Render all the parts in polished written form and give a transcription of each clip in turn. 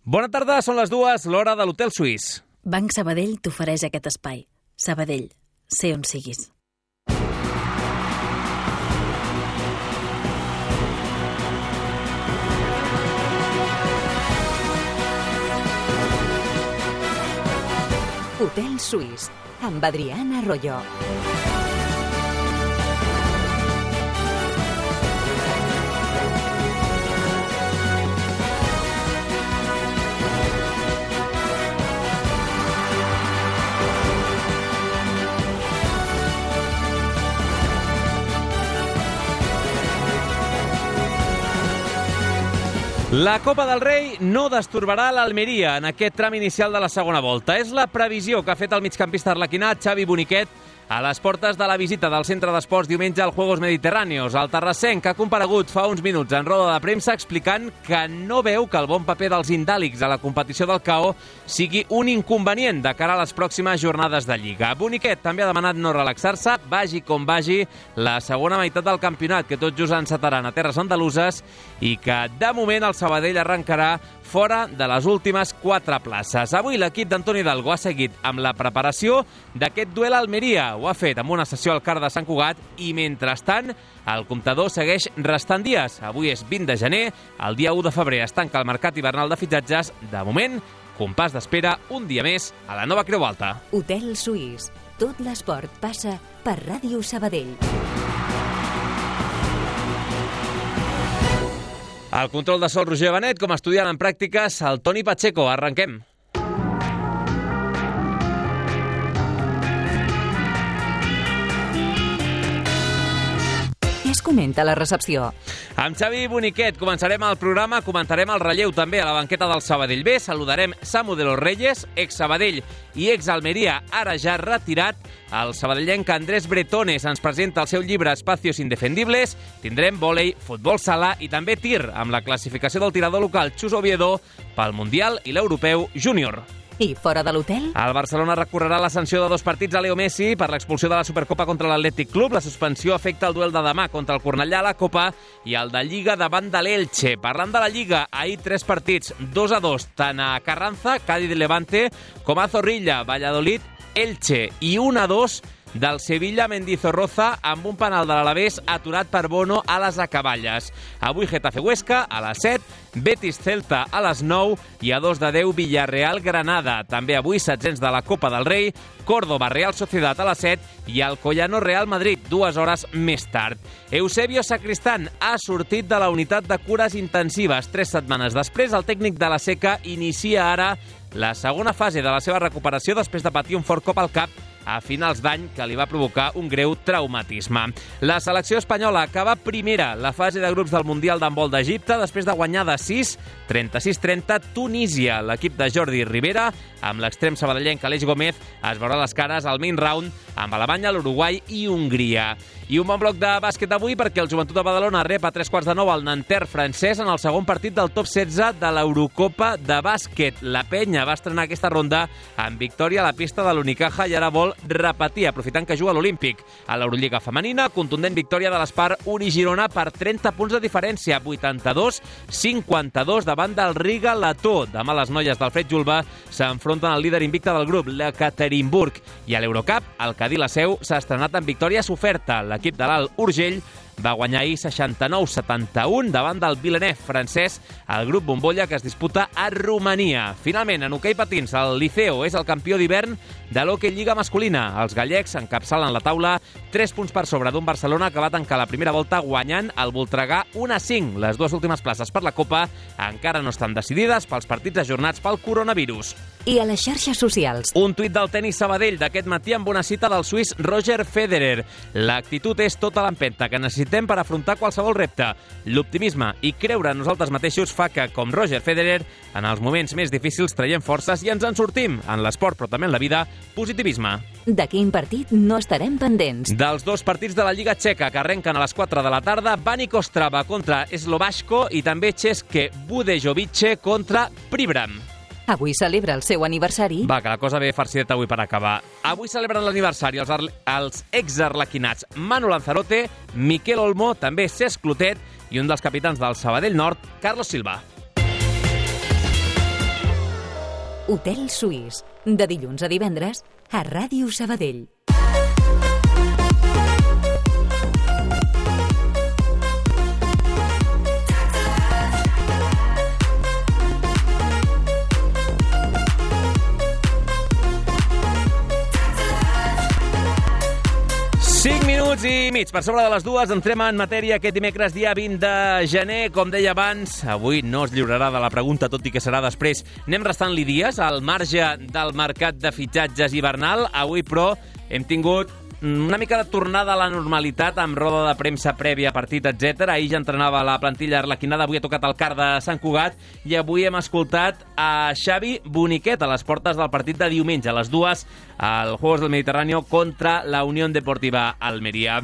Bona tarda, són les 2, l'hora de l'Hotel Suís. Banc Sabadell t'ofereix aquest espai. Sabadell, sé on siguis. Hotel Suís, amb Adriana Arroyo. La Copa del Rei no destorbarà l'Almeria en aquest tram inicial de la segona volta. És la previsió que ha fet el migcampista arlequinat Xavi Boniquet a les portes de la visita del centre d'esports diumenge als Juegos Mediterráneos. El terrassenc ha comparegut fa uns minuts en roda de premsa explicant que no veu que el bon paper dels indàlics a la competició del KO sigui un inconvenient de cara a les pròximes jornades de Lliga. Boniquet també ha demanat no relaxar-se, vagi com vagi, la segona meitat del campionat, que tot just encetaran a terres andaluses, i que de moment el Sabadell arrencarà fora de les últimes 4 places. Avui l'equip d'Antoni Hidalgo ha seguit amb la preparació d'aquest duel a Almeria. Ho ha fet amb una sessió al CAR de Sant Cugat i, mentrestant, el comptador segueix restant dies. Avui és 20 de gener, el dia 1 de febrer es tanca el mercat hivernal de fitxatges. De moment, compàs d'espera un dia més a la nova Creu Alta. Hotel Suís. Tot l'esport passa per Ràdio Sabadell. Al control de sol, Roger Benet, com a estudiant en pràctiques, el Toni Pacheco. Arrenquem. Què es comenta a la recepció? Amb Xavi Boniquet començarem el programa, comentarem el relleu també a la banqueta del Sabadell B, saludarem Samu de los Reyes, ex-Sabadell i ex-Almeria, ara ja retirat. El sabadellenc Andrés Bretones ens presenta el seu llibre Espacios Indefendibles. Tindrem vòlei, futbol sala i també tir, amb la classificació del tirador local Chus Oviedo pel Mundial i l'Europeu Júnior. I fora de l'hotel? El Barcelona recorrerà la sanció de 2 partits a Leo Messi per l'expulsió de la Supercopa contra l'Atlètic Club. La suspensió afecta el duel de demà contra el Cornellà a la Copa i el de Lliga davant de l'Elche. Parlant de la Lliga, ahir 3 partits, 2-2, tant a Carranza, Cádiz Levante, com a Zorrilla, Valladolid, Elche, i 1-2 del Sevilla Mendizorroza amb un penal de l'Alavés aturat per Bono a les acaballes. Avui Getafe Huesca a les 7, Betis Celta a les 9 i a 2 de 10 Villarreal Granada. També avui 700 de la Copa del Rei, Córdoba Real Sociedad a les 7 i Alcoyano Real Madrid 2 hores més tard. Eusebio Sacristán ha sortit de la unitat de cures intensives 3 setmanes després. El tècnic de la Seca inicia ara la segona fase de la seva recuperació després de patir un fort cop al cap a finals d'any que li va provocar un greu traumatisme. La selecció espanyola acaba primera la fase de grups del Mundial d'handbol d'Egipte després de guanyar de 6, 36-30 Tunísia. L'equip de Jordi Rivera, amb l'extrem sabadellenc Aleix Gómez, es veurà les cares al main round amb Alemanya, l'Uruguai i Hongria. I un bon bloc de bàsquet avui perquè el Joventut de Badalona rep a 3:15 al Nanterre francès en el segon partit del top 16 de l'Eurocopa de bàsquet. La penya va estrenar aquesta ronda amb victòria a la pista de l'Unicaja i ara vol repetir, aprofitant que juga a l'Olímpic. A l'Eurolliga femenina, contundent victòria de l'Espar Uni-Girona per 30 punts de diferència, 82-52 davant del Riga Letó. Demà les noies del Fred Julba s'enfronten al líder invicte del grup, l'Ekaterinburg. I a l'Eurocup, el Cadí la Seu s'ha estrenat amb victòria soferta. L'equip de l'Alt Urgell va guanyar ahir 69-71 davant del Villeneuve francès, el grup bombolla que es disputa a Romania. Finalment, en hoquei patins, el Liceo és el campió d'hivern de l'Hockey Lliga masculina. Els gallecs encapçalen la taula 3 punts per sobre d'un Barcelona que va tancar la primera volta guanyant el Voltregà 1-5. Les 2 últimes places per la Copa encara no estan decidides pels partits ajornats pel coronavirus. I a les xarxes socials? Un tuit del tenis Sabadell d'aquest matí amb una cita del suís Roger Federer. L'actitud és tota l'empenta que necessitem per afrontar qualsevol repte. L'optimisme i creure en nosaltres mateixos fa que, com Roger Federer, en els moments més difícils traiem forces i ens en sortim. En l'esport, però també en la vida, positivisme. De quin partit no estarem pendents? Dels 2 partits de la Lliga Txeca que arrenquen a les 4 de la tarda, Baník Ostrava contra Slovácko i també České Budějovice contra Pribram. Avui celebra el seu aniversari. Va, que la cosa ve farcideta avui per acabar. Avui celebren l'aniversari els ex-arlequinats Manu Lanzarote, Miquel Olmo, també Cesc Clotet i un dels capitans del Sabadell Nord, Carlos Silva. Hotel Suís, de dilluns a divendres a Ràdio Sabadell. I mig. Per sobre de les 2 entrem en matèria aquest dimecres, dia 20 de gener. Com deia abans, avui no es lliurarà de la pregunta, tot i que serà després. Anem restant-li dies al marge del mercat de fitxatges hivernal. Avui, però, hem tingut una mica de tornada a la normalitat amb roda de premsa prèvia, partit, etc. Ahir ja entrenava la plantilla arlequinada, avui ha tocat el car de Sant Cugat i avui hem escoltat a Xavi Boniquet a les portes del partit de diumenge, a les 2, al Juegos del Mediterráneo contra la Unión Deportiva Almería.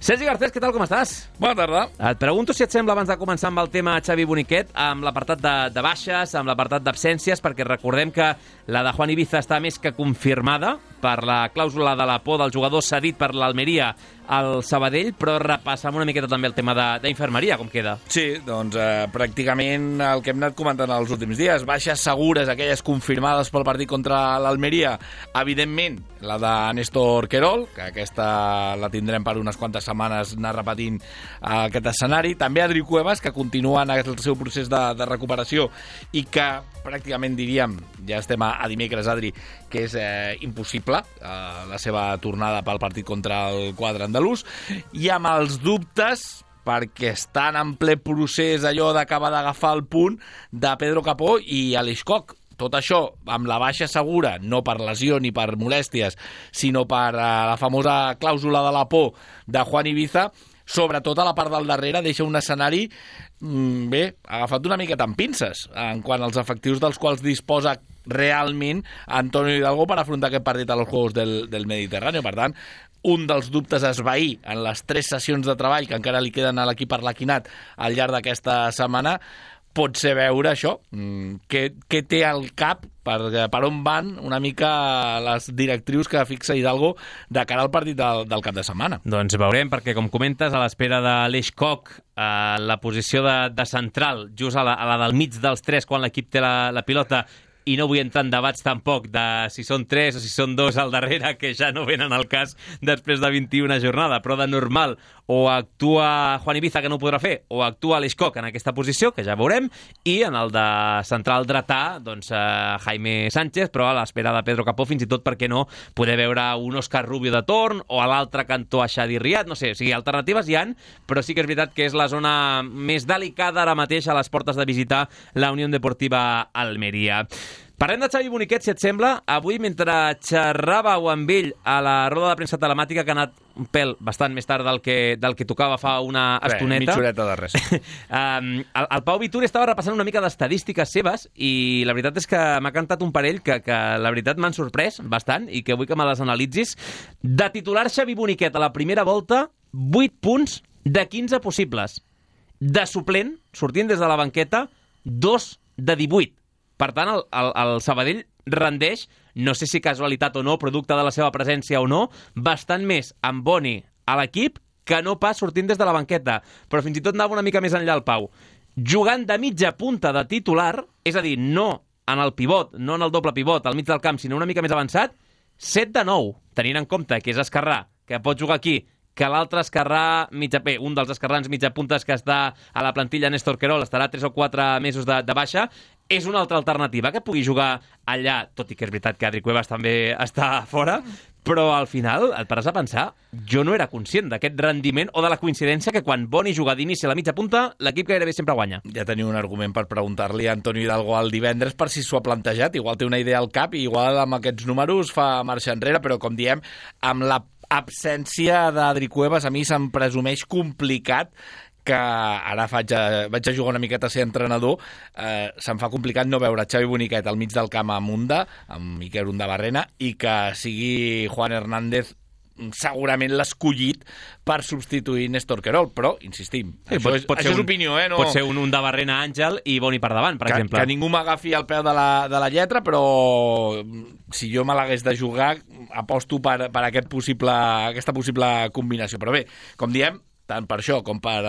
Sergi Garcés, què tal, com estàs? Bona tarda. Et pregunto si et sembla, abans de començar amb el tema Xavi Boniquet, amb l'apartat de baixes, amb l'apartat d'absències, perquè recordem que la de Juan Ibiza està més que confirmada per la clàusula de la por del jugador cedit per l'Almeria al Sabadell, però repassam una miqueta també el tema d'infermeria, com queda. Sí, doncs pràcticament el que hem anat comentant els últims dies. Baixes segures, aquelles confirmades pel partit contra l'Almeria. Evidentment, la de Néstor Querol, que aquesta la tindrem per unes quantes setmanes anar repetint aquest escenari. També Adri Cuevas, que continua en el seu procés de recuperació i que pràcticament diríem, ja estem a dimecres, Adri, que és impossible la seva tornada pel partit contra el quadre andalús, i amb els dubtes perquè estan en ple procés allò d'acabar d'agafar el punt de Pedro Capó i Aleix Koch. Tot això amb la baixa segura, no per lesió ni per molèsties, sinó per la famosa clàusula de la por de Juan Ibiza, sobretot a la part del darrere deixa un escenari agafat una miqueta amb pinces en quant als efectius dels quals disposa realment Antonio Hidalgo per afrontar aquest partit als Juegos del Mediterráneo. Per tant, un dels dubtes a esvair en les 3 sessions de treball que encara li queden a l'equip arlequinat al llarg d'aquesta setmana pot ser veure això, què té al cap, per on van una mica les directrius que fixa Hidalgo de cara al partit del cap de setmana. Doncs veurem, perquè com comentes, a l'espera de l'Aleix Koch, la posició de central, just a la del mig dels 3 quan l'equip té la pilota, i no vull entrar en debats tampoc de si són 3 o si són 2 al darrere, que ja no venen al cas després de 21 jornada, però de normal o actua Juan Ibiza, que no ho podrà fer, o actua Aleix Koch en aquesta posició, que ja veurem, i en el de central dretà, doncs Jaime Sánchez, però a l'espera de Pedro Capó, fins i tot perquè no poder veure un Òscar Rubio de torn, o a l'altre cantó a Xadi Riad, no sé, o sigui, alternatives hi han, però sí que és veritat que és la zona més delicada ara mateix a les portes de visitar la Unión Deportiva Almeria. Parlem de Xavi Boniquet, si et sembla. Avui, mentre xerràveu amb ell a la roda de premsa telemàtica, que ha anat un pèl bastant més tard del que tocava fa una estoneta. Mitja horeta de res. El Pau Vituri estava repassant una mica d'estadístiques seves i la veritat és que m'ha cantat un parell que la veritat m'han sorprès bastant i que vull que me les analitzis. De titular Xavi Boniquet a la primera volta, 8 punts de 15 possibles. De suplent, sortint des de la banqueta, 2 de 18. Per tant, el Sabadell rendeix, no sé si casualitat o no, producte de la seva presència o no, bastant més amb Boni a l'equip que no pas sortint des de la banqueta. Però fins i tot anava una mica més enllà el Pau. Jugant de mitja punta de titular, és a dir, no en el pivot, no en el doble pivot al mig del camp, sinó una mica més avançat, 7 de 9, tenint en compte que és esquerrà, que pot jugar aquí, que l'altre esquerrà, un dels esquerrans mitjapuntes que està a la plantilla, Néstor Querol, estarà 3 o 4 mesos de baixa, és una altra alternativa que pugui jugar allà, tot i que és veritat que Adri Cuevas també està fora, però al final et pares a pensar, jo no era conscient d'aquest rendiment o de la coincidència que quan Boni juga d'inici a la mitja punta, l'equip gairebé sempre guanya. Ja teniu un argument per preguntar-li a Antonio Hidalgo el divendres per si s'ho ha plantejat, igual té una idea al cap i igual amb aquests números fa marxa enrere, però com diem, amb la absència d'Adri Cuevas a mi se'm presumeix complicat que ara vaig a jugar una miqueta a ser entrenador, se'm fa complicat no veure Xavi Boniquet al mig del camp amb Unda, amb Miquel Undabarrena, i que sigui Juan Hernández segurament l'escollit per substituir Néstor Querol, però, insistim, això és opinió, no... Pot ser un Undabarrena Àngel i Boni per davant, per exemple. Que ningú m'agafi al peu de la lletra, però si jo me l'hagués de jugar, aposto per aquesta possible combinació. Però bé, com diem, tant per això com per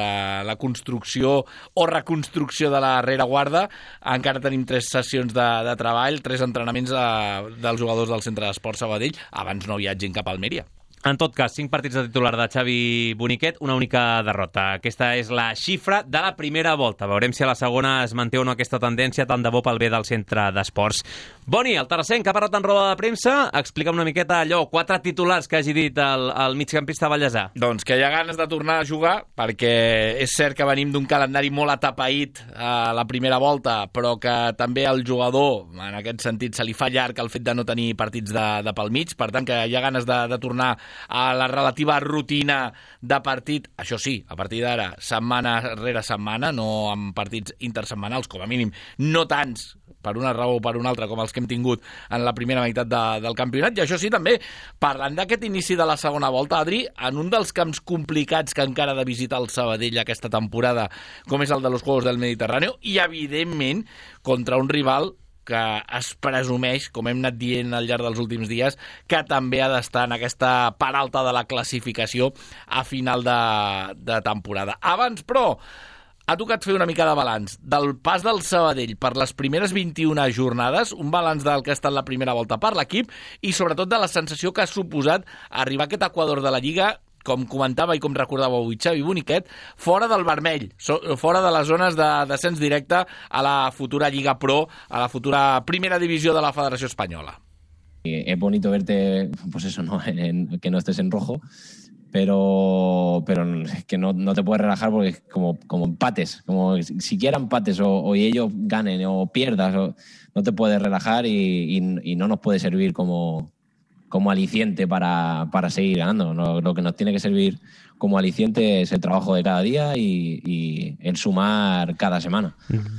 la construcció o reconstrucció de la rereguarda. Encara tenim 3 sessions de treball, 3 entrenaments dels jugadors del Centre d'Esport Sabadell abans no viatgin cap a Almeria. En tot cas, 5 partits de titular de Xavi Boniquet, una única derrota. Aquesta és la xifra de la primera volta. Veurem si a la segona es manté o no aquesta tendència, tant de bo pel bé del Centre d'Esports. Boni, el terrassenc, que ha parlat en roda de premsa, explica'm una miqueta allò, 4 titulars que hagi dit el migcampista ballesà. Doncs que hi ha ganes de tornar a jugar, perquè és cert que venim d'un calendari molt atapeït a la primera volta, però que també al jugador, en aquest sentit, se li fa llarg el fet de no tenir partits de pel mig, per tant que hi ha ganes de tornar a la relativa rutina de partit, això sí, a partir d'ara, setmana rere setmana, no amb partits intersetmanals, com a mínim, no tants, per una raó o per una altra, com els que hem tingut en la primera meitat del campionat. I això sí, també, parlant d'aquest inici de la segona volta, Adri, en un dels camps complicats que encara ha de visitar el Sabadell aquesta temporada, com és el de los Juegos del Mediterráneo, i, evidentment, contra un rival que es presumeix, com hem anat dient al llarg dels últims dies, que també ha d'estar en aquesta part alta de la classificació a final de temporada. Abans, però, ha tocat fer una mica de balanç del pas del Sabadell per les primeres 21 jornades, un balanç del que ha estat la primera volta per l'equip i sobretot de la sensació que ha suposat arribar a aquest equador de la Lliga, com comentava i com recordava avui Xavi Boniquet, fora del vermell, fora de les zones de descens directe a la futura Lliga Pro, a la futura primera divisió de la Federació Espanyola. Es bonito verte, pues eso, ¿no? Que no estés en rojo, pero es que no te puedes relajar porque es como empates, como siquiera empates o ellos ganen o pierdas, no te puedes relajar y no nos puede servir como aliciente para seguir ganando. Lo que nos tiene que servir como aliciente és el trabajo de cada dia i el sumar cada setmana.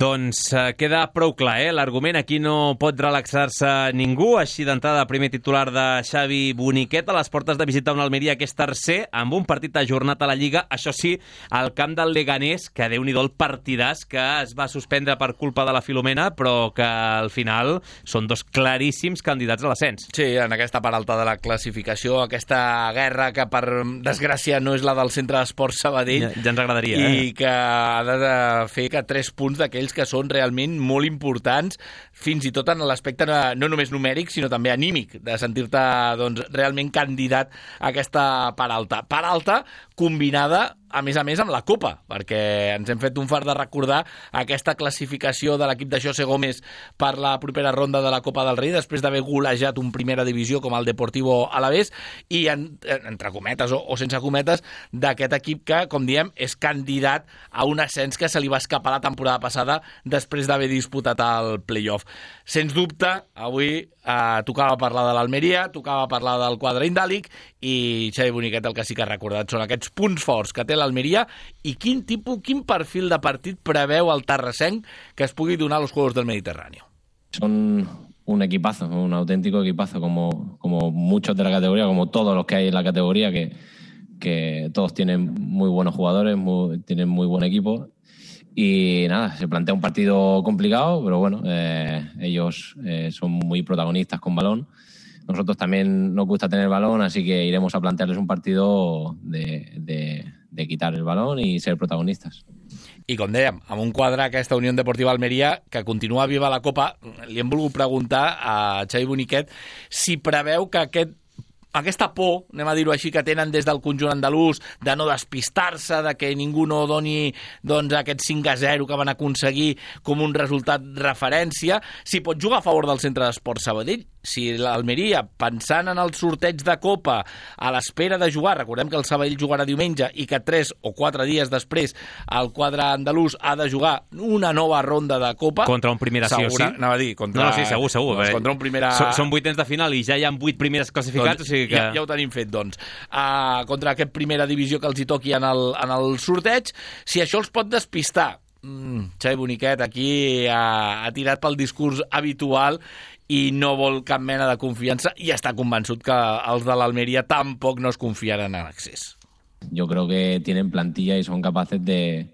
Doncs queda prou clar, l'argument. Aquí no pot relaxar-se ningú. Així d'entrada, primer titular de Xavi Boniquet a les portes de visitar un Almeria que és tercer, amb un partit ajornat a la Lliga. Això sí, al camp del Leganés, que Déu-n'hi-do el partidàs que es va suspendre per culpa de la Filomena, però que al final són 2 claríssims candidats a l'ascens. Sí, en aquesta part alta de la classificació, aquesta guerra que per desgràcia no és la del Centre d'Esports Sabadell, ja ens agradaria, i que ha de fer que 3 punts d'aquells que són realment molt importants, fins i tot en l'aspecte no només numèric, sinó també anímic, de sentir-te doncs, realment candidat a aquesta part alta. Part alta combinada, a més, amb la Copa, perquè ens hem fet un fart de recordar aquesta classificació de l'equip de José Gómez per la propera ronda de la Copa del Rei, després d'haver golejat un primera divisió com el Deportivo Alavés, i entre cometes o sense cometes, d'aquest equip que, com diem, és candidat a un ascens que se li va escapar la temporada passada després d'haver disputat el play-off. Sens dubte, avui tocava parlar de l'Almeria, tocava parlar del quadre indàlic, i Xavi Boniquet el que sí que ha recordat són aquests punts forts que té l'Almeria i quin perfil de partit preveu el terrassenc que es pugui donar a los Juegos del Mediterráneo. Son un equipazo, un auténtico equipazo, como muchos de la categoría, como todos los que hay en la categoría, que todos tienen muy buenos jugadores, tienen muy buen equipo. Y nada, se plantea un partido complicado, pero bueno, ellos son muy protagonistas con balón. Nosotros también nos gusta tener balón, así que iremos a plantearles un partido de quitar el balón y ser protagonistas. I com dèiem, amb un quadre aquesta Unió Deportiva Almeria que continua viva la Copa, li hem volgut preguntar a Xavi Boniquet si preveu que aquesta por, anem a dir-ho així, que tenen des del conjunt andalús, de no despistar-se, de que ningú no doni doncs, aquest 5-0 que van aconseguir com un resultat referència, si pot jugar a favor del Centre d'Esports Sabadell, si l'Almeria, pensant en el sorteig de Copa, a l'espera de jugar, recordem que el Sabadell jugarà diumenge i que 3 o 4 dies després el quadre andalús ha de jugar una nova ronda de Copa. Contra un primera sí o sí. Anava a dir, contra... No, sí, segur. Doncs contra un primera... Són 8 de final i ja hi ha 8 primeres classificats, doncs, o sigui que... Ja ho tenim fet, doncs. Contra aquest primera divisió que els hi toqui en el sorteig, si això els pot despistar. Xavi Boniquet aquí ha tirat pel discurs habitual i no vol cap mena de confiança i està convençut que els de l'Almeria tampoc no es confiaran en accés. Yo creo que tienen plantilla y son capaces de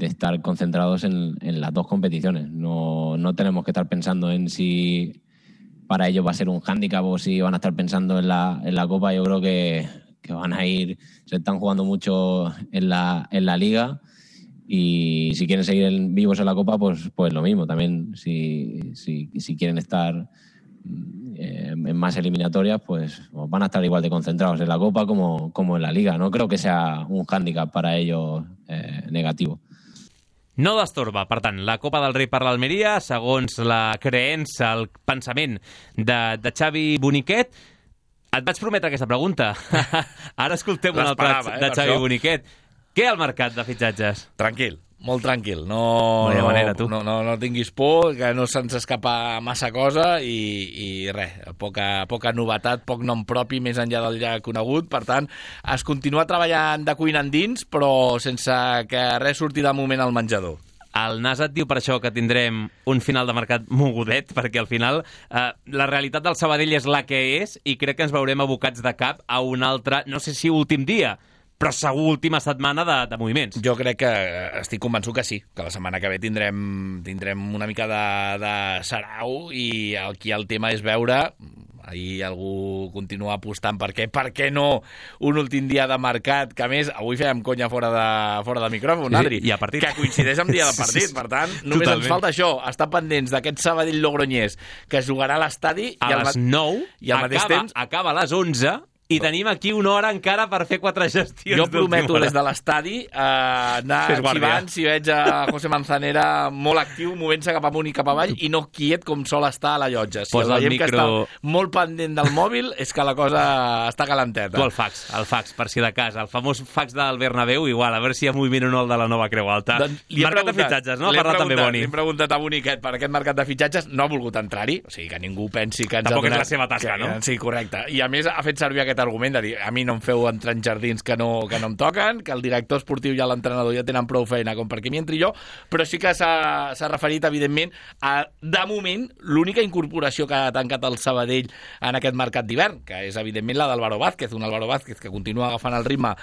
estar concentrados en las 2 competiciones. No tenemos que estar pensando en si para ellos va a ser un hándicap o si van a estar pensando en la Copa. Yo creo que van a ir, se están jugando mucho en la liga, y si quieren seguir vivos en la Copa, pues lo mismo. También si quieren estar en más eliminatorias, pues van a estar igual de concentrados en la Copa como en la Liga. No creo que sea un hándicap para ellos negativo. No destorba, per tant, la Copa del Rei per l'Almeria, segons la creença, el pensament de Xavi Boniquet. Et vaig prometre aquesta pregunta. Ara escoltem un altre de Xavi Boniquet. Què al mercat de fitxatges? Tranquil, molt tranquil. No hi ha manera, tu. No tinguis por, que no se'ns escapa massa cosa i res, poca novetat, poc nom propi més enllà del ja conegut. Per tant, es continua treballant de cuina endins, però sense que res surti de moment al menjador. El Nas et diu per això que tindrem un final de mercat mogudet, perquè al final la realitat del Sabadell és la que és i crec que ens veurem abocats de cap a un altre, no sé si últim dia, però segur última setmana de moviments. Jo crec que estic convençut que sí, que la setmana que ve tindrem una mica de sarau i aquí el tema és veure. Ahir algú continua apostant per què no un últim dia de mercat, que a més avui fèiem conya fora de micròfon, Adri, i a partit, que coincideix amb dia de partit. Per tant, només ens falta això, estar pendents d'aquest Sabadell Logroñés que jugarà a l'estadi a les 9 i al mateix temps acaba a les 11 i tenim aquí una hora encara per fer 4 gestions. Jo prometo des de l'estadi anar xivant si veig a José Manzanera molt actiu, movent-se cap amunt i cap avall i no quiet com sol estar a la llotja. Si el veiem que està molt pendent del mòbil és que la cosa està calenteta. Tu el fax, per si de cas. El famós fax del Bernabéu, igual, a veure si hi ha moviment o no el de la Nova Creu Alta. Mercat de fitxatges, no? Ha parlat també Boni. Li he preguntat a Boniquet per aquest mercat de fitxatges, no ha volgut entrar-hi, o sigui que ningú pensi que ens tampoc ha donat... és la seva tasca, no? Sí, correcte. I a més ha fet servir aquest argument de dir a mi no em feu entrar en jardins que no em toquen, que el director esportiu i l'entrenador ja tenen prou feina com perquè m'hi entri jo, però sí que s'ha referit, evidentment, a, de moment, l'única incorporació que ha tancat el Sabadell en aquest mercat d'hivern, que és, evidentment, la d'Álvaro Vázquez, un Álvaro Vázquez que continua agafant el ritme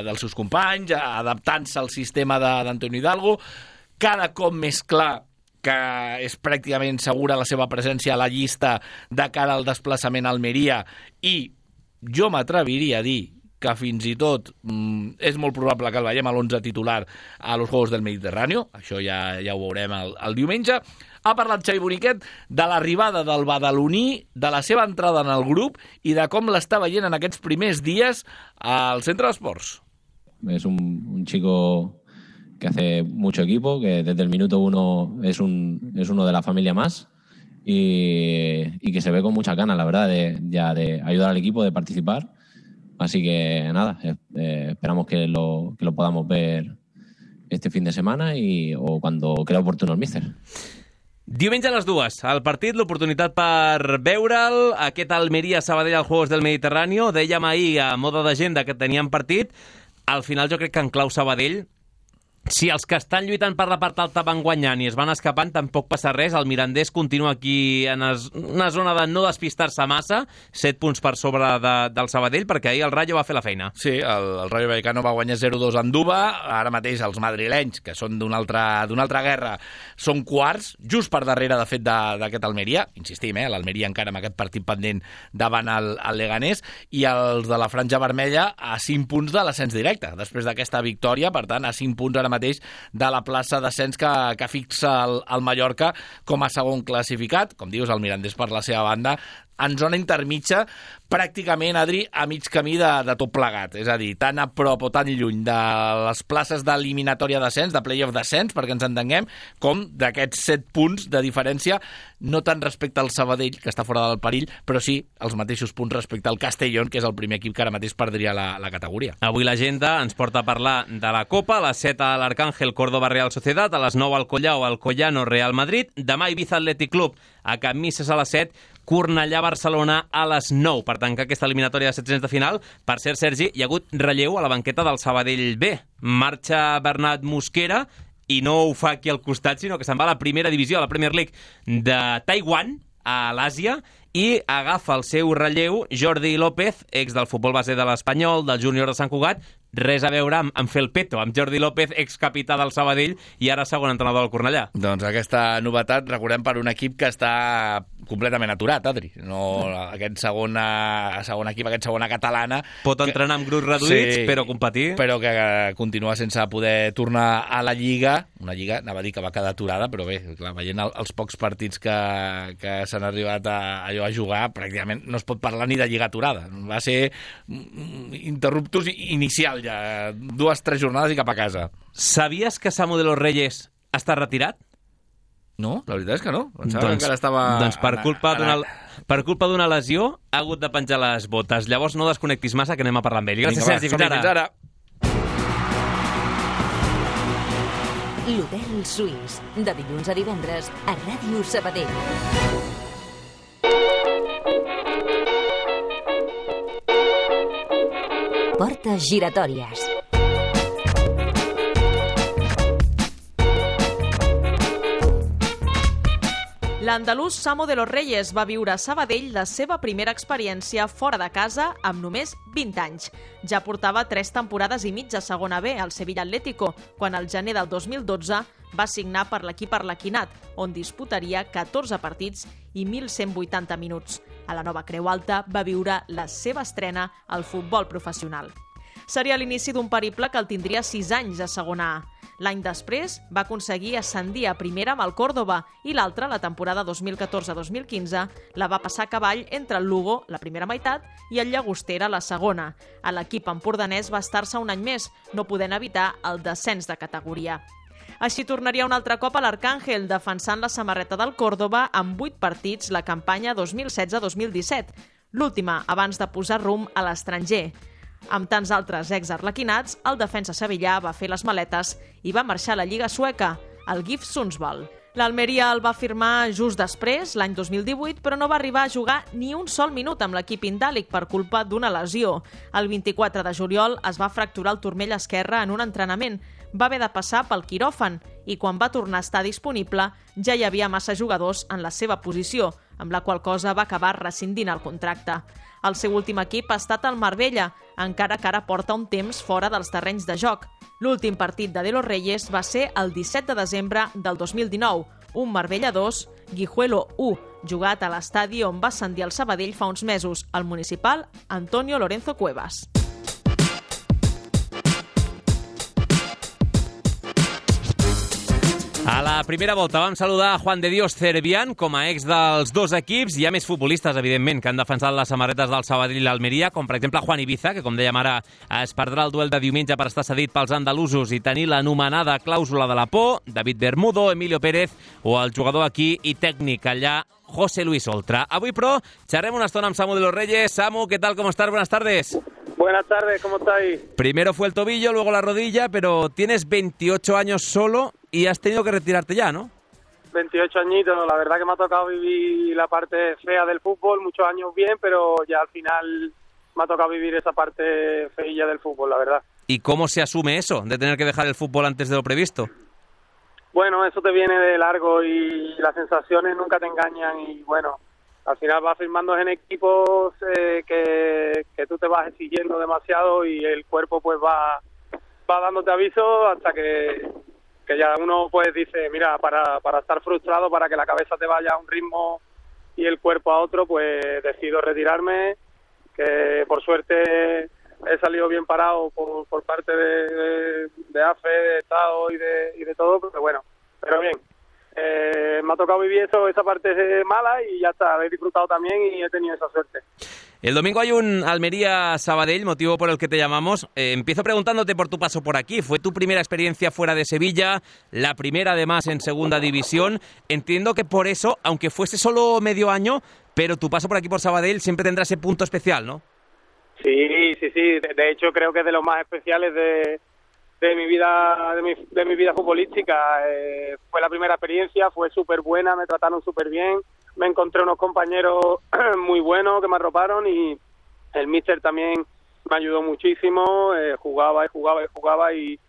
dels seus companys, adaptant-se al sistema d'Antonio Hidalgo, cada cop més clar que és pràcticament segura la seva presència a la llista de cara al desplaçament a Almeria, i jo m'atreviria a dir que fins i tot és molt probable que el veiem a l'11 titular a los Juegos del Mediterráneo, això ja ho veurem el diumenge. Ha parlat Xavi Boniquet de l'arribada del badaloní, de la seva entrada en el grup i de com l'està veient en aquests primers dies al centre d'esports. És un chico que hace mucho equipo, que desde el minuto 1 es uno de la familia más. Y que se ve con mucha ganas, la verdad, de ayudar al equipo, de participar. Así que nada, esperamos que lo podamos ver este fin de semana o cuando crea oportuno el míster. Diumenge a les 2, el partit, l'oportunitat per veure'l, aquest Almeria-Sabadell als Juegos del Mediterráneo. Dèiem ahir a moda d'agenda que teníem partit. Al final jo crec que en clau Sabadell, si els que estan lluitant per la part alta van guanyant i es van escapant, tampoc passa res. El Mirandés continua aquí en una zona de no despistar-se massa, 7 punts per sobre del Sabadell, perquè ahir el Rayo va fer la feina. Sí, el Rayo Vallecano va guanyar 0-2 a Andúba. Ara mateix els madrilenys, que són d'una altra guerra, són quarts, just per darrere, de fet, d'aquest Almeria. Insistim, l'Almeria encara amb aquest partit pendent davant el Leganés, i els de la Franja Vermella a 5 punts de l'ascens directe, després d'aquesta victòria. Per tant, a 5 punts ara mateix de la plaça d'ascens que fixa el Mallorca com a segon classificat. Com dius, el Mirandés per la seva banda en zona intermitja, pràcticament, Adri, a mig camí de tot plegat. És a dir, tan a prop o tan lluny de les places d'eliminatòria d'ascens, de play-off d'ascens, perquè ens entenguem, com d'aquests 7 punts de diferència, no tant respecte al Sabadell, que està fora del perill, però sí els mateixos punts respecte al Castellón, que és el primer equip que ara mateix perdria la categoria. Avui l'agenda ens porta a parlar de la Copa, a les 7 a l'Arcángel, Córdoba, Real Sociedad, a les 9 al Collao, al Collano, Real Madrid, demà Ibiza Athletic Club, a Can Misses a les 7, Cornellà, Barcelona a les 9, per tancar aquesta eliminatòria de 700 de final. Per cert, Sergi, hi ha hagut relleu a la banqueta del Sabadell B. Marxa Bernat Mosquera i no ho fa aquí al costat, sinó que se'n va a la primera divisió, a la Premier League de Taiwan, a l'Àsia, i agafa el seu relleu Jordi López, ex del futbol base de l'Espanyol, del Júnior de Sant Cugat, res a veure amb fer el peto, amb Jordi López, excapità del Sabadell i ara segon entrenador del Cornellà. Doncs aquesta novetat, recordem, per un equip que està completament aturat, Adri. No, aquest segon equip, aquest segona catalana... Pot entrenar amb grups reduïts, però competir... Però que continua sense poder tornar a la Lliga. Una Lliga, anava a dir que va quedar aturada, però bé, clar, veient els pocs partits que s'han arribat a jugar, pràcticament no es pot parlar ni de Lliga aturada. Va ser interruptus inicial ja, 2-3 jornades i cap a casa. Sabies que Samu de los Reyes està retirat? No, la veritat és que no. Pensava que encara estava... Doncs per culpa d'una lesió ha hagut de penjar les botes. Llavors no desconnectis massa, que anem a parlar amb ell. Gràcies, Sergi. Fins ara. L'Hotel Suís, de dilluns a divendres a Ràdio Sabadell. Portes giratòries. L'andalús Samu de los Reyes va viure a Sabadell la seva primera experiència fora de casa amb només 20 anys. Ja portava 3 temporades i mitja a segona B al Sevilla Atlético, quan al gener del 2012 va signar per l'equip arlequinat, on disputaria 14 partits i 1.180 minuts. A la nova Creu Alta va viure la seva estrena al futbol professional. Seria l'inici d'un periple que el tindria 6 anys a segona A. L'any després va aconseguir ascendir a primera amb el Córdoba i l'altra, la temporada 2014-2015, la va passar a cavall entre el Lugo, la primera meitat, i el Llagostera, la segona. A l'equip empordanès va estar-se un any més, no podent evitar el descens de categoria. Així tornaria un altre cop a l'Arcàngel, defensant la samarreta del Córdoba amb 8 partits la campanya 2016-2017, l'última abans de posar rumb a l'estranger. Amb tants altres ex-arlequinats, el defensa sevillà va fer les maletes i va marxar a la Lliga sueca, el GIF Sundsvall. L'Almeria el va firmar just després, l'any 2018, però no va arribar a jugar ni un sol minut amb l'equip indàlic per culpa d'una lesió. El 24 de juliol es va fracturar el turmell esquerre en un entrenament. Va haver de passar pel quiròfan i quan va tornar a estar disponible ja hi havia massa jugadors en la seva posició, amb la qual cosa va acabar rescindint el contracte. El seu últim equip ha estat el Marbella, encara que ara porta un temps fora dels terrenys de joc. L'últim partit de los Reyes va ser el 17 de desembre del 2019, un Marbella 2, Guijuelo 1, jugat a l'estadi on va ascendir el Sabadell fa uns mesos, el municipal Antonio Lorenzo Cuevas. A la primera volta vam saludar a Juan de Dios Cervián com a ex dels dos equips. Hi ha més futbolistes, evidentment, que han defensat les samarretes del Sabadell i l'Almeria, com per exemple Juan Ibiza, que com dèiem ara es perdrà el duel de diumenge per estar cedit pels andalusos i tenir l'anomenada clàusula de la por, David Bermudo, Emilio Pérez o el jugador aquí i tècnic allà, José Luis Oltra. Avui, però, xerrem una estona amb Samu de los Reyes. Samu, ¿qué tal? ¿Cómo estás? Buenas tardes. Buenas tardes, ¿cómo estáis? Primero fue el tobillo, luego la rodilla, pero tienes 28 años solo y has tenido que retirarte ya, ¿no? 28 añitos, la verdad que me ha tocado vivir la parte fea del fútbol, muchos años bien, pero ya al final me ha tocado vivir esa parte feilla del fútbol, la verdad. ¿Y cómo se asume eso, de tener que dejar el fútbol antes de lo previsto? Bueno, eso te viene de largo y las sensaciones nunca te engañan y bueno, al final vas firmando en equipos que tú te vas exigiendo demasiado y el cuerpo pues va dándote aviso hasta que ya uno pues dice, mira, para estar frustrado, para que la cabeza te vaya a un ritmo y el cuerpo a otro, pues decido retirarme, que por suerte he salido bien parado por parte de AFE, de Estado y de todo, pero bien. Me ha tocado vivir esa parte mala y ya está, he disfrutado también y he tenido esa suerte. El domingo hay un Almería-Sabadell, motivo por el que te llamamos. Empiezo preguntándote por tu paso por aquí. Fue tu primera experiencia fuera de Sevilla, la primera además en segunda división. Entiendo que por eso, aunque fuese solo medio año, pero tu paso por aquí por Sabadell siempre tendrá ese punto especial, ¿no? Sí. De hecho, creo que es de los más especiales de mi vida futbolística. Fue la primera experiencia, fue súper buena, me trataron súper bien, me encontré unos compañeros muy buenos que me arroparon y el míster también me ayudó muchísimo, jugaba y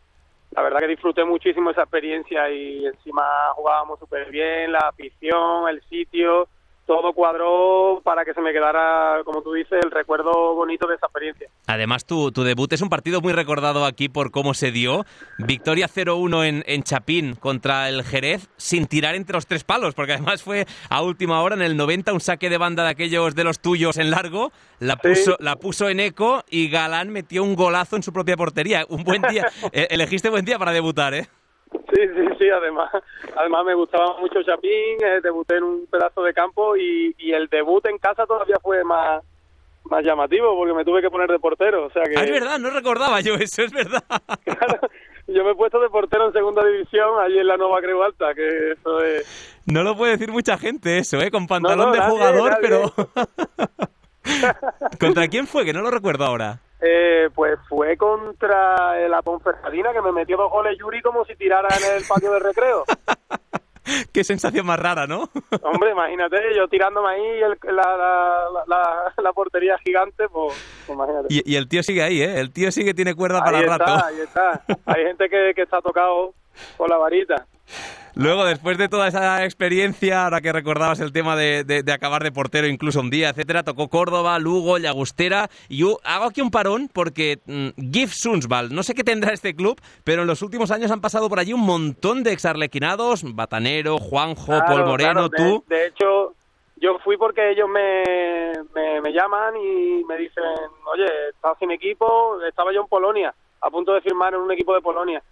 la verdad que disfruté muchísimo esa experiencia y encima jugábamos súper bien, la afición, el sitio, todo cuadró para que se me quedara, como tú dices, el recuerdo bonito de esa experiencia. Además, tu debut es un partido muy recordado aquí por cómo se dio. Victoria 0-1 en Chapín contra el Jerez, sin tirar entre los 3 palos, porque además fue a última hora, en el 90, un saque de banda de aquellos de los tuyos en largo, la puso en eco y Galán metió un golazo en su propia portería. Un buen día, elegiste buen día para debutar, ¿eh? Sí, además me gustaba mucho Chapín, debuté en un pedazo de campo y el debut en casa todavía fue más llamativo porque me tuve que poner de portero, o sea que... Es verdad, no recordaba yo eso, es verdad. Claro, yo me he puesto de portero en segunda división, allí en la Nueva Creu Alta, que eso es... No lo puede decir mucha gente eso, con pantalón de jugador, nadie. Pero... ¿Contra quién fue? Que no lo recuerdo ahora. Pues fue contra la Ponferradina, que me metió 2 goles Yuri como si tirara en el patio de recreo. Qué sensación más rara, ¿no? Hombre, imagínate, yo tirándome ahí la portería gigante, pues imagínate. Y el tío sigue ahí, ¿eh? El tío sí que tiene cuerda para rato. Ahí está. Hay gente que está tocado con la varita. Luego, después de toda esa experiencia, ahora que recordabas el tema de acabar de portero incluso un día, etcétera, tocó Córdoba, Lugo, Llagostera, y yo hago aquí un parón porque GIF Sundsvall, no sé qué tendrá este club, pero en los últimos años han pasado por allí un montón de exarlequinados, Batanero, Juanjo, claro, Paul Moreno, tú... De hecho, yo fui porque ellos me llaman y me dicen, oye, estás sin equipo, estaba yo en Polonia, a punto de firmar en un equipo de Polonia.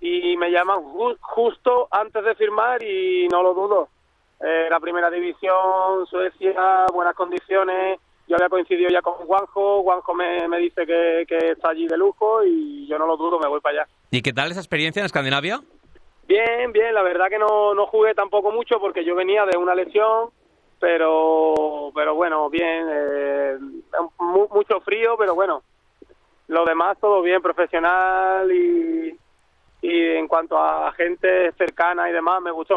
Y me llaman justo antes de firmar y no lo dudo. La primera división, Suecia, buenas condiciones. Yo había coincidido ya con Juanjo me dice que está allí de lujo y yo no lo dudo, me voy para allá. ¿Y qué tal esa experiencia en Escandinavia? Bien, la verdad que no jugué tampoco mucho porque yo venía de una lesión, pero bueno, bien, mucho frío, pero bueno, lo demás todo bien, profesional y en cuanto a gente cercana y demás, me gustó.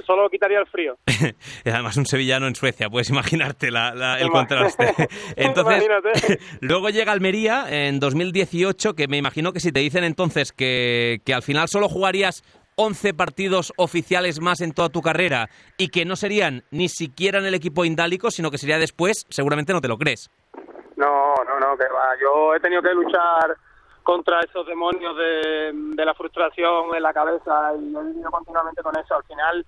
Solo quitaría el frío. Además, un sevillano en Suecia, puedes imaginarte el contraste. Entonces, luego llega Almería en 2018, que me imagino que si te dicen entonces que al final solo jugarías 11 partidos oficiales más en toda tu carrera y que no serían ni siquiera en el equipo indálico, sino que sería después, seguramente no te lo crees. No, que va. Yo he tenido que luchar contra esos demonios de la frustración en la cabeza y he vivido continuamente con eso. Al final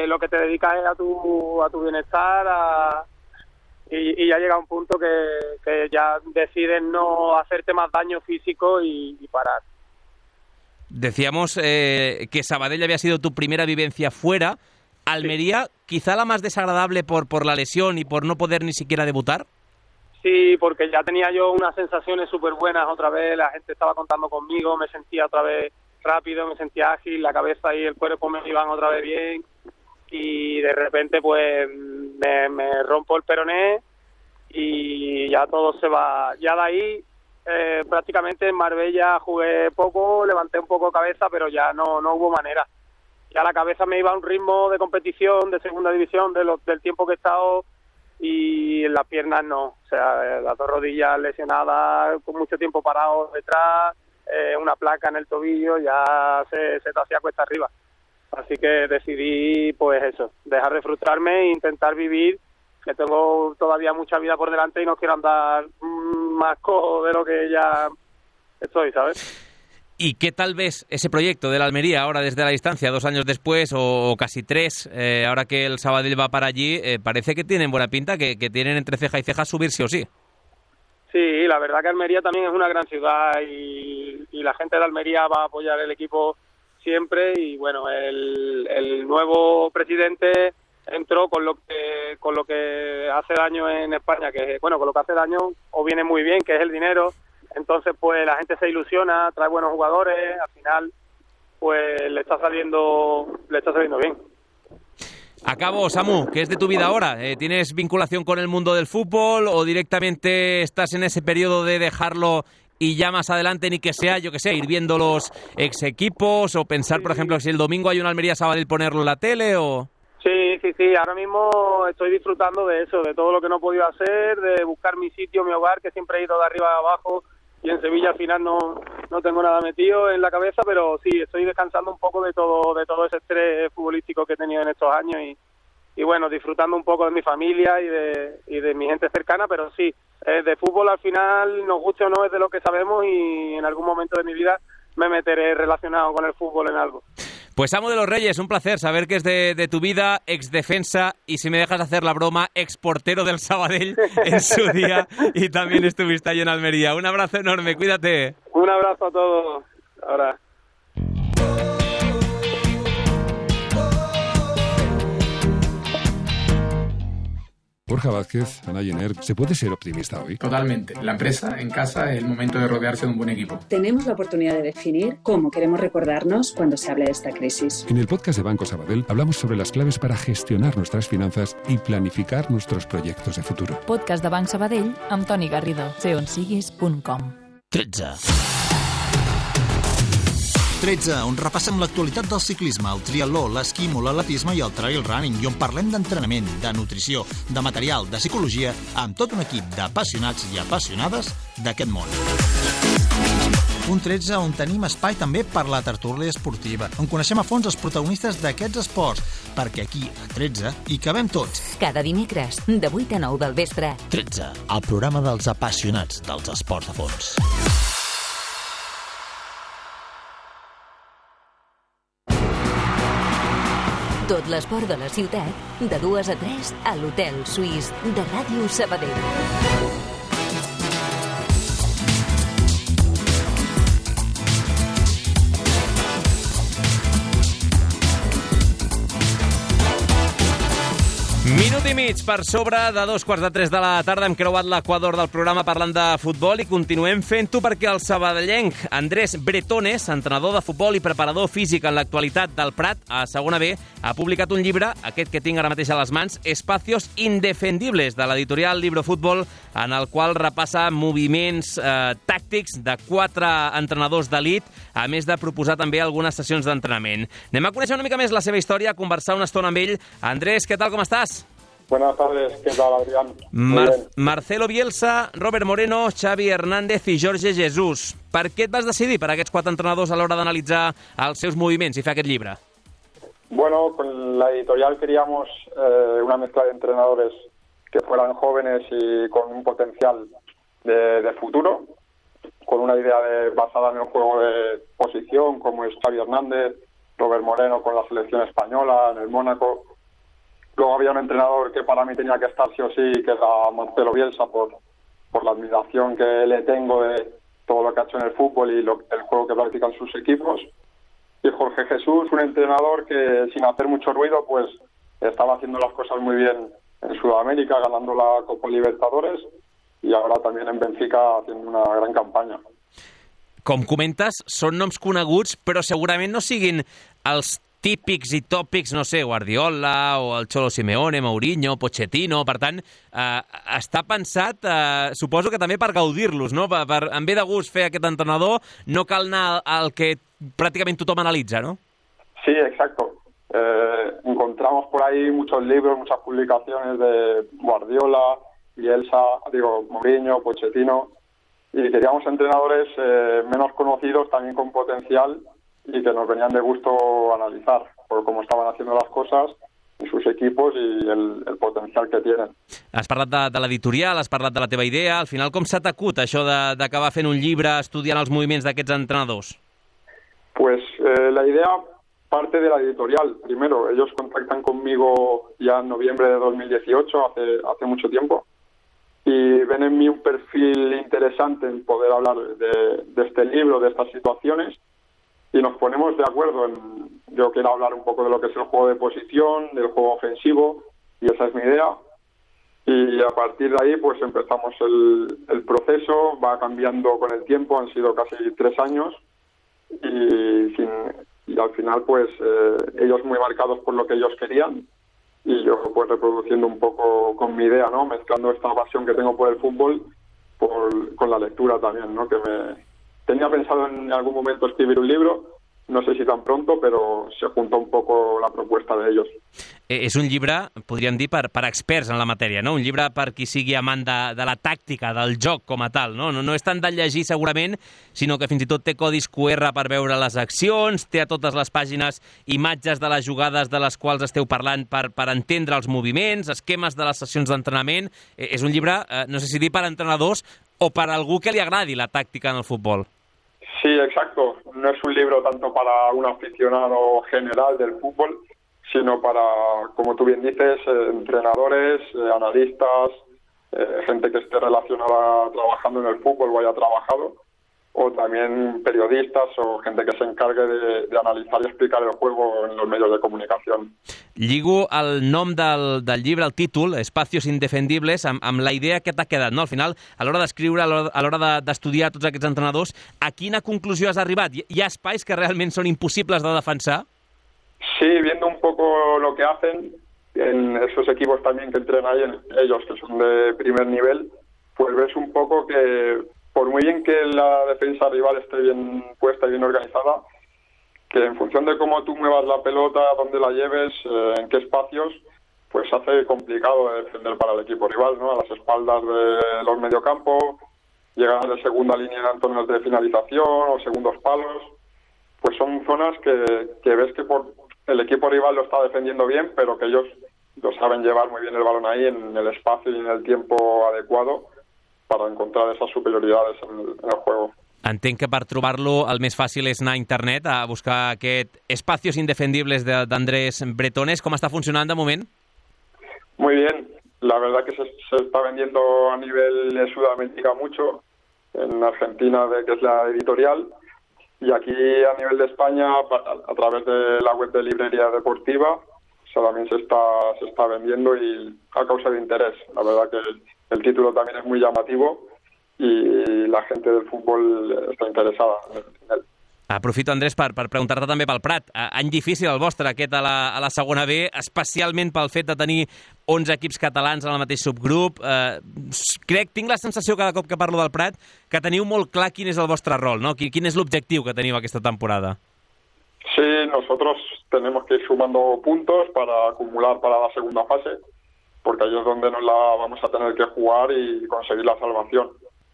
lo que te dedicas es a tu bienestar y ya llega un punto que ya decides no hacerte más daño físico y parar. Decíamos que Sabadell había sido tu primera vivencia fuera. Almería, sí. Quizá la más desagradable por la lesión y por no poder ni siquiera debutar. Sí, porque ya tenía yo unas sensaciones súper buenas otra vez, la gente estaba contando conmigo, me sentía otra vez rápido, me sentía ágil, la cabeza y el cuerpo me iban otra vez bien y de repente pues me rompo el peroné y ya todo se va. Ya de ahí prácticamente en Marbella jugué poco, levanté un poco cabeza, pero ya no hubo manera. Ya la cabeza me iba a un ritmo de competición de segunda división del tiempo que he estado y en las piernas no, o sea, las 2 rodillas lesionadas, con mucho tiempo parado detrás, una placa en el tobillo, ya se te hacía cuesta arriba. Así que decidí, pues eso, dejar de frustrarme e intentar vivir, que tengo todavía mucha vida por delante y no quiero andar más cojo de lo que ya estoy, ¿sabes? ¿Y qué tal ves ese proyecto de la Almería ahora desde la distancia, 2 años después o casi 3, ahora que el Sabadell va para allí? Parece que tienen buena pinta, que tienen entre ceja y ceja subir sí o sí. Sí, la verdad que Almería también es una gran ciudad y la gente de Almería va a apoyar el equipo siempre y bueno, el nuevo presidente entró con lo que hace daño en España, que bueno, con lo que hace daño o viene muy bien, que es el dinero. Entonces, pues la gente se ilusiona, trae buenos jugadores, al final, pues le está saliendo bien. Acabo, Samu, ¿qué es de tu vida ahora? ¿Tienes vinculación con el mundo del fútbol o directamente estás en ese periodo de dejarlo y ya más adelante ni que sea, yo que sé, ir viendo los ex equipos o pensar, por ejemplo, si el domingo hay una Almería Sabadell ponerlo en la tele o...? Sí, ahora mismo estoy disfrutando de eso, de todo lo que no he podido hacer, de buscar mi sitio, mi hogar, que siempre he ido de arriba a abajo. Y en Sevilla al final no tengo nada metido en la cabeza, pero sí, estoy descansando un poco de todo ese estrés futbolístico que he tenido en estos años bueno, disfrutando un poco de mi familia y de mi gente cercana, pero sí, de fútbol al final, nos guste o no, es de lo que sabemos y en algún momento de mi vida me meteré relacionado con el fútbol en algo. Pues Samu de los Reyes, un placer saber que es de tu vida, exdefensa y, si me dejas hacer la broma, exportero del Sabadell en su día, y también estuviste ahí en Almería. Un abrazo enorme, cuídate. Un abrazo a todos. Ahora. Borja Vázquez, Ana Jenner, ¿se puede ser optimista hoy? Totalmente. La empresa, en casa, es el momento de rodearse de un buen equipo. Tenemos la oportunidad de definir cómo queremos recordarnos cuando se hable de esta crisis. En el podcast de Banco Sabadell hablamos sobre las claves para gestionar nuestras finanzas y planificar nuestros proyectos de futuro. Podcast de Banc Sabadell amb Toni Garrido. seonsiguis.com. 13, on repassem l'actualitat del ciclisme, el triatló, l'esquí, l'atletisme i el trail running, i on parlem d'entrenament, de nutrició, de material, de psicologia, amb tot un equip d'apassionats i apassionades d'aquest món. Un 13 on tenim espai també per la tertúlia esportiva, on coneixem a fons els protagonistes d'aquests esports, perquè aquí, a 13, hi cabem tots. Cada dimecres, de 8 a 9 del vespre. 13, el programa dels apassionats dels esports de fons. Tot l'esport de la ciutat, de 2 a 3 a l'Hotel Suís de Ràdio Sabadell. Minut i mig per sobre de 2:45 de la tarda. Hem creuat l'equador del programa parlant de futbol i continuem fent-ho perquè el sabadellenc Andrés Bretones, entrenador de futbol i preparador físic en l'actualitat del Prat a segona B, ha publicat un llibre, aquest que tinc ara mateix a les mans, Espacios Indefendibles, de l'editorial Libro Fútbol, en el qual repassa moviments tàctics de 4 entrenadors d'elit, a més de proposar també algunes sessions d'entrenament. Anem a conèixer una mica més la seva història, a conversar una estona amb ell. Andrés, què tal, com estàs? Buenas tardes, ¿qué tal, Adrián? Marcelo Bielsa, Robert Moreno, Xavi Hernández i Jorge Jesús. Per què et vas decidir per aquests 4 entrenadors a l'hora d'analitzar els seus moviments i fer aquest llibre? Bueno, con la editorial queríamos una mezcla de entrenadores que fueran jóvenes y con un potencial de futuro, con una idea basada en el juego de posición, como es Xavi Hernández, Robert Moreno con la selección española, en el Mónaco. Luego había un entrenador que para mí tenía que estar sí o sí, que era Marcelo Bielsa, por la admiración que le tengo de todo lo que ha hecho en el fútbol y el juego que practican sus equipos. Y Jorge Jesús, un entrenador que sin hacer mucho ruido, pues estaba haciendo las cosas muy bien en Sudamérica, ganando la Copa Libertadores, y ahora también en Benfica haciendo una gran campaña. Com comentes, són noms coneguts, però segurament no siguin els típics i tòpics, no sé, Guardiola o el Cholo Simeone, Mourinho, Pochettino. Per tant, està pensat, suposo que també per gaudir-los, no? En ve de gust fer aquest entrenador, no cal anar al que pràcticament tothom analitza, ¿no? Sí, exacto. Encontramos por ahí muchos libros, muchas publicaciones de Guardiola, Bielsa, Mourinho, Pochettino, y queríamos entrenadores menos conocidos, también con potencial, y que nos venían de gusto analizar por cómo estaban haciendo las cosas en sus equipos y el potencial que tienen. Has parlat de l'editorial, has parlat de la teva idea. Al final, com s'ha t'acut això d'acabar fent un llibre estudiant els moviments d'aquests entrenadors? Pues la idea parte de la editorial. Primero, ellos contactan conmigo ya en noviembre de 2018, hace mucho tiempo, y ven en mí un perfil interesante en poder hablar de este libro, de estas situaciones, y nos ponemos de acuerdo yo quiero hablar un poco de lo que es el juego de posición, del juego ofensivo, y esa es mi idea. Y a partir de ahí pues empezamos el proceso, va cambiando con el tiempo, han sido casi 3 años, y al final pues ellos muy marcados por lo que ellos querían, y yo pues reproduciendo un poco con mi idea, ¿no? Mezclando esta pasión que tengo por el fútbol con la lectura también, ¿no? Tenía pensado en algún momento escribir un libro, no sé si tan pronto, pero se juntó un poco la propuesta de ellos. és un llibre, podríem dir, per experts en la matèria, no? Un llibre per qui sigui amant de la tàctica, del joc com a tal, no? No és tant de llegir segurament, sinó que fins i tot té codis QR per veure les accions, té a totes les pàgines imatges de les jugades de les quals esteu parlant per entendre els moviments, esquemes de les sessions d'entrenament. És un llibre, no sé si dir per entrenadors o per algú que li agradi la tàctica en el futbol. Sí, exacto. No es un libro tanto para un aficionado general del fútbol, sino para, como tú bien dices, entrenadores, analistas, gente que esté relacionada trabajando en el fútbol o haya trabajado, o también periodistas o gente que se encargue de analizar y explicar el juego en los medios de comunicación. Lligo el nom del llibre, el títol, Espacios Indefendibles, amb la idea que t'ha quedat, no? Al final, a l'hora d'escriure, a l'hora d'estudiar tots aquests entrenadors, a quina conclusió has arribat? Hi ha espais que realment són impossibles de defensar? Sí, viendo un poco lo que hacen en esos equipos también que entrenan ahí, ellos que son de primer nivel, pues ves un poco que por muy bien que la defensa rival esté bien puesta y bien organizada, que en función de cómo tú muevas la pelota, dónde la lleves, en qué espacios, pues hace complicado de defender para el equipo rival, ¿no? A las espaldas de los mediocampos, llegar de segunda línea en zonas de finalización o segundos palos, pues son zonas que ves que el equipo rival lo está defendiendo bien, pero que ellos lo saben llevar muy bien el balón ahí en el espacio y en el tiempo adecuado para encontrar esas superioridades en el juego. Entenc que per trobar-lo el més fàcil és anar a internet a buscar aquest Espacios Indefendibles d'Andrés Bretones. ¿Cómo está funcionando de moment? Muy bien. La verdad que se está vendiendo a nivel de Sudamérica mucho. En Argentina, que es la editorial. Y aquí a nivel de España, a través de la web de Librería Deportiva, también se está vendiendo y a causa de interés. La verdad que el título también es muy llamativo y la gente del fútbol está interesada en él. Aprofito, Andrés, per preguntar-te també pel Prat. Any difícil el vostre, aquest a la segona B, especialment pel fet de tenir 11 equips catalans en el mateix subgrup. Tinc la sensació cada cop que parlo del Prat que teniu molt clar quin és el vostre rol, no? Quin és l'objectiu que teniu aquesta temporada? Sí, nosotros tenemos que ir sumando puntos para acumular para la segunda fase, porque ahí es donde nos la vamos a tener que jugar y conseguir la salvación.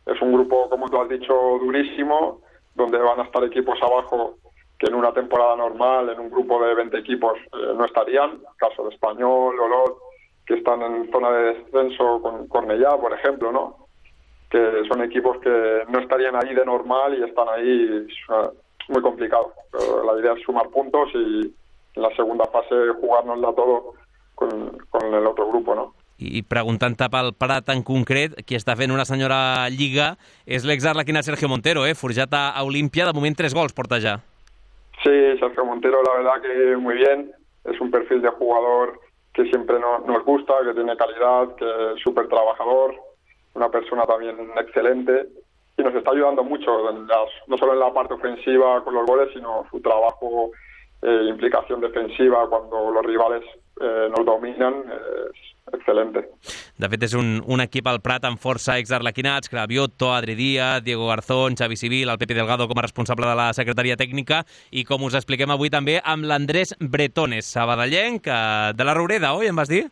Es un grupo, como tú has dicho, durísimo, donde van a estar equipos abajo que en una temporada normal, en un grupo de 20 equipos, no estarían. Caso de Español, Olot, que están en zona de descenso, con Cornellá, por ejemplo, ¿no? Que son equipos que no estarían ahí de normal y están ahí muy complicado. Pero la idea es sumar puntos y en la segunda fase jugárnosla todo con el otro grupo, ¿no? I preguntant-te pel Prat en concret, qui està fent una senyora lliga és l'exarlequinat Sergio Montero, forjat a Olímpia, de moment 3 gols porta ja. Sí, Sergio Montero la verdad que muy bien, es un perfil de jugador que siempre nos gusta, que tiene calidad, que es súper trabajador, una persona también excelente y nos está ayudando mucho, no solo en la parte ofensiva con los goles, sino su trabajo, implicación defensiva cuando los rivales nos dominan, es excelente. De fet, és un equip al Prat amb força exarlequinats, Cravioto, Adri Díaz, Diego Garzón, Xavi Civil, el Pepe Delgado com a responsable de la secretaria tècnica i, com us expliquem avui també, amb l'Andrés Bretones, sabadellenc, de la Roureda, oi, em vas dir?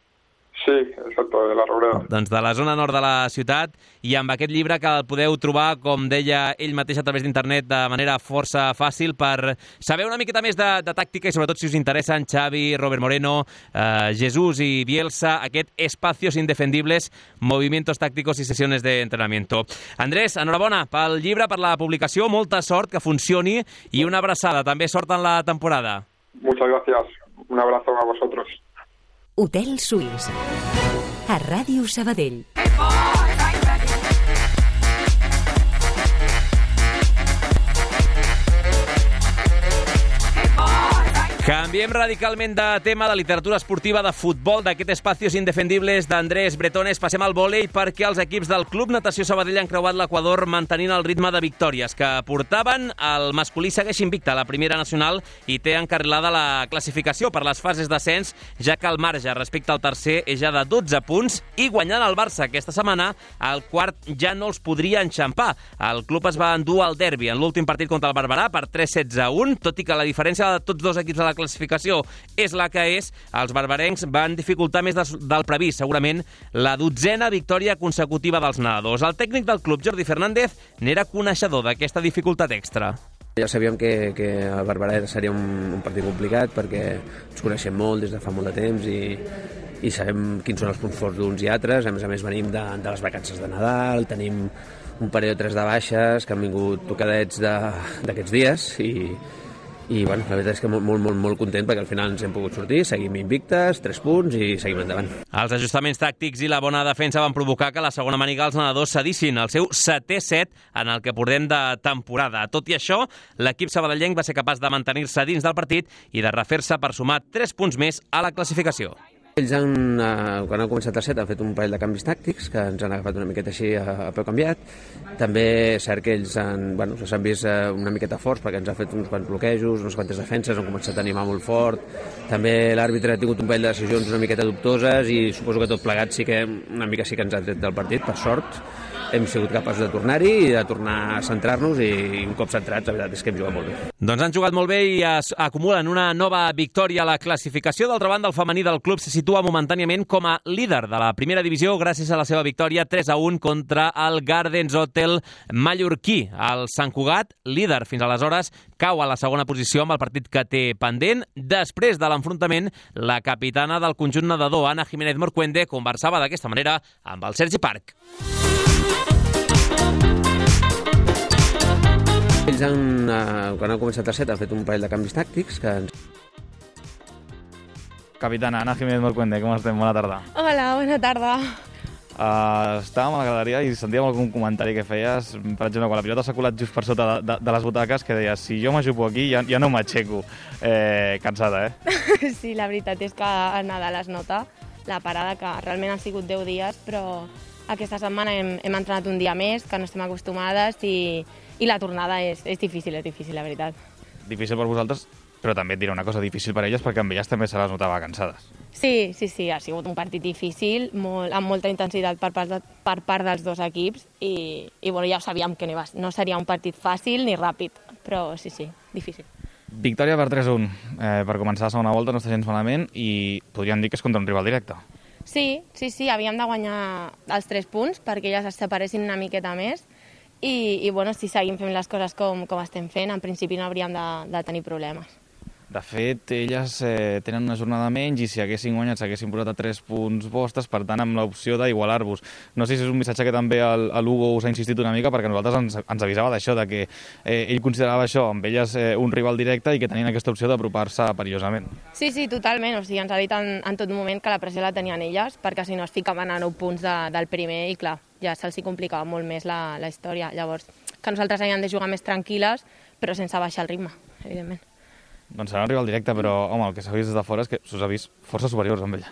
Sí, exacte, de la Roureda. Doncs de la zona nord de la ciutat, i amb aquest llibre que el podeu trobar, com deia ell mateix a través d'internet, de manera força fàcil per saber una miqueta més de tàctica i sobretot si us interessen Xavi, Robert Moreno, Jesús i Bielsa, aquest Espacios Indefendibles, movimientos tácticos y sesiones de entrenamiento. Andrés, enhorabona pel llibre, per la publicació, molta sort, que funcioni i una abraçada, també sort en la temporada. Muchas gracias, un abrazo a vosotros. Hotel Suís, a Ràdio Sabadell. Canviem radicalment de tema, de literatura esportiva, de futbol, d'aquest Espacios Indefendibles d'Andrés Bretones. Passem al vòlei perquè els equips del Club Natació Sabadell han creuat l'Equador mantenint el ritme de victòries que portaven. El masculí segueix invicte a la primera nacional i té encarrilada la classificació per les fases d'ascens, ja que el marge respecte al tercer és ja de 12 punts i guanyant el Barça aquesta setmana, el quart ja no els podria enxampar. El club es va endur al derbi en l'últim partit contra el Barberà per 3-16-1, tot i que la diferència de tots dos equips a la la classificació és la que és, els barbarencs van dificultar més del previst, segurament la 12a victòria consecutiva dels nedadors. El tècnic del club, Jordi Fernández, n'era coneixedor d'aquesta dificultat extra. Ja sabíem que el Barberà seria un partit complicat perquè ens coneixem molt des de fa molt de temps i sabem quins són els punts forts d'uns i altres. A més venim de les vacances de Nadal, tenim un parell o tres de baixes que han vingut tocadets d'aquests dies i bueno, la veritat és que molt content perquè al final ens hem pogut sortir, seguim invictes, 3 punts i seguim endavant. Els ajustaments tàctics i la bona defensa van provocar que a la segona maniga els nedadors cedissin el seu 7è set en el que portem de temporada. Tot i això, l'equip sabadellenc va ser capaç de mantenir-se dins del partit i de refer-se per sumar 3 punts més a la classificació. Ells, quan han començat el set, han fet un parell de canvis tàctics que ens han agafat una miqueta així a peu canviat. També és cert que ells s'han vist una miqueta forts perquè ens ha fet uns quants bloquejos, unes quantes defenses, han començat a animar molt fort. També l'àrbitre ha tingut un parell de decisions una miqueta dubtoses i suposo que tot plegat sí que una mica sí que ens ha tret del partit, per sort. Hem sigut capaços de tornar-hi i de tornar a centrar-nos i un cop centrats, la veritat és que hem jugat molt bé. Doncs han jugat molt bé i es acumulen una nova victòria a la classificació. D'altra banda, el femení del club se situa momentàniament com a líder de la primera divisió gràcies a la seva victòria 3-1 contra el Gardens Hotel mallorquí. El Sant Cugat, líder fins aleshores, cau a la segona posició amb el partit que té pendent. Després de l'enfrontament, la capitana del conjunt nedador, Ana Jiménez Morcuende, conversava d'aquesta manera amb el Sergi Parc. Ells, quan han començat el set, han fet un parell de canvis tàctics que ens... Capitana, Ana Jiménez Morcuende, com estem? Bona tarda. Hola, bona tarda. Estàvem a la galeria i sentíem algun comentari que feies, per exemple, quan la pilota s'ha colat just per sota de les butaques, que deies, si jo m'ajupo aquí ja no m'aixeco. Cansada, Sí, la veritat és que a Nadal es nota la parada, que realment han sigut 10 dies, però aquesta setmana hem entrenat un dia més, que no estem acostumades, i la tornada és difícil, la veritat. Difícil per vosaltres, però també et diré una cosa, difícil per elles, perquè amb elles també se les notava cansades. Sí, ha sigut un partit difícil, amb molta intensitat per part dels dos equips, i bueno, ja ho sabíem que no seria un partit fàcil ni ràpid, però sí, difícil. Victòria per 3-1. Per començar la segona volta no està gens malament i podríem dir que és contra un rival directe. Sí, havíem de guanyar els 3 punts perquè ja es separessin una miqueta més i bueno, si seguim fent les coses com estem fent, en principi no hauríem de tenir problemes. De fet, elles tenen una jornada menys i si haguessin guanyat s'haguessin posat a 3 punts vostres, per tant, amb l'opció d'igualar-vos. No sé si és un missatge que també l'Hugo us ha insistit una mica, perquè nosaltres ens avisava d'això, de que ell considerava això, amb elles un rival directe i que tenien aquesta opció d'apropar-se perillosament. Sí, totalment. O sigui, ens ha dit en tot moment que la pressió la tenien elles, perquè si no es ficaven a 9 punts del primer i, clar, ja se'ls complicava molt més la història. Llavors, que nosaltres havíem de jugar més tranquil·les, però sense baixar el ritme, evidentment. Doncs serà un rival directe, però, home, el que s'ha vist des de fora és que s'us ha vist força superiors amb ella.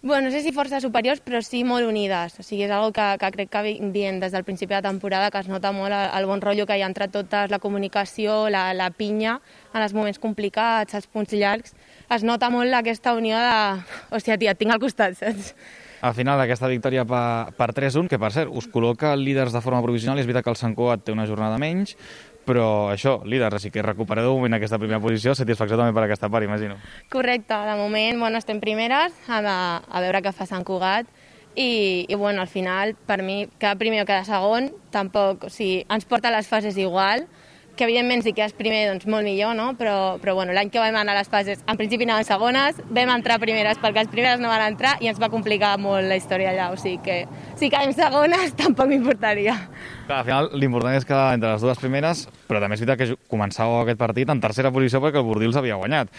Bueno, no sé si força superiors, però sí molt unides. O sigui, és una cosa que crec que dient des del principi de temporada, que es nota molt el bon rotllo que hi ha entre totes, la comunicació, la pinya, en els moments complicats, els punts llargs. Es nota molt aquesta unió de... Hòstia, tia, et tinc al costat, saps? Al final, aquesta victòria per 3-1, que per cert, us col·loca líders de forma provisional, i és veritat que el Sant Cugat té una jornada menys, però això, líders, així que recupereu de moment aquesta primera posició, satisfacció també per aquesta part, imagino. Correcte, de moment, bueno, estem primeres, a veure què fa Sant Cugat, i bueno, al final, per mi, quedar primer o quedar segon, tampoc, o sigui, ens porta a les fases igual, que evidentment si quedes primer, doncs molt millor, no? Però bueno, l'any que vam anar a les fases, en principi anaven segones, vam entrar primeres perquè els primeres no van entrar i ens va complicar molt la història allà, o sigui que si quedem segones tampoc m'importaria. Clar, al final l'important és quedar entre les dues primeres, però també és veritat que començàveu aquest partit en tercera posició perquè el Bordils havia guanyat.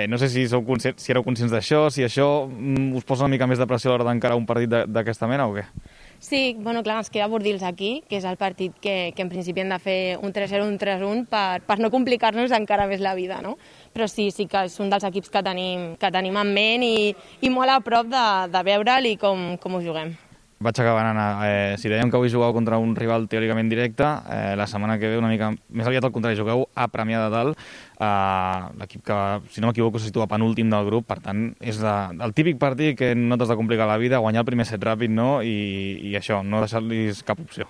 No sé si éreu conscients d'això, si això us posa una mica més de pressió a l'hora d'encarar un partit d'aquesta mena o què? Sí, bueno, clar, ens queda Bordils aquí, que és el partit que en principi hem de fer un 3-0, un 3-1 per no complicar-nos encara més la vida, no? Però sí que és un dels equips que tenim en ment i molt a prop de veure'l i com ho juguem. Vaig acabar anant. Si dèiem que avui jugueu contra un rival teòricament directe, la setmana que ve una mica més aviat al contrari, jugueu a Premià de Dalt, l'equip que, si no m'equivoco, se situa penúltim del grup, per tant, és el típic partit que no t'has de complicar la vida, guanyar el primer set ràpid, no? I això, no deixar-los cap opció.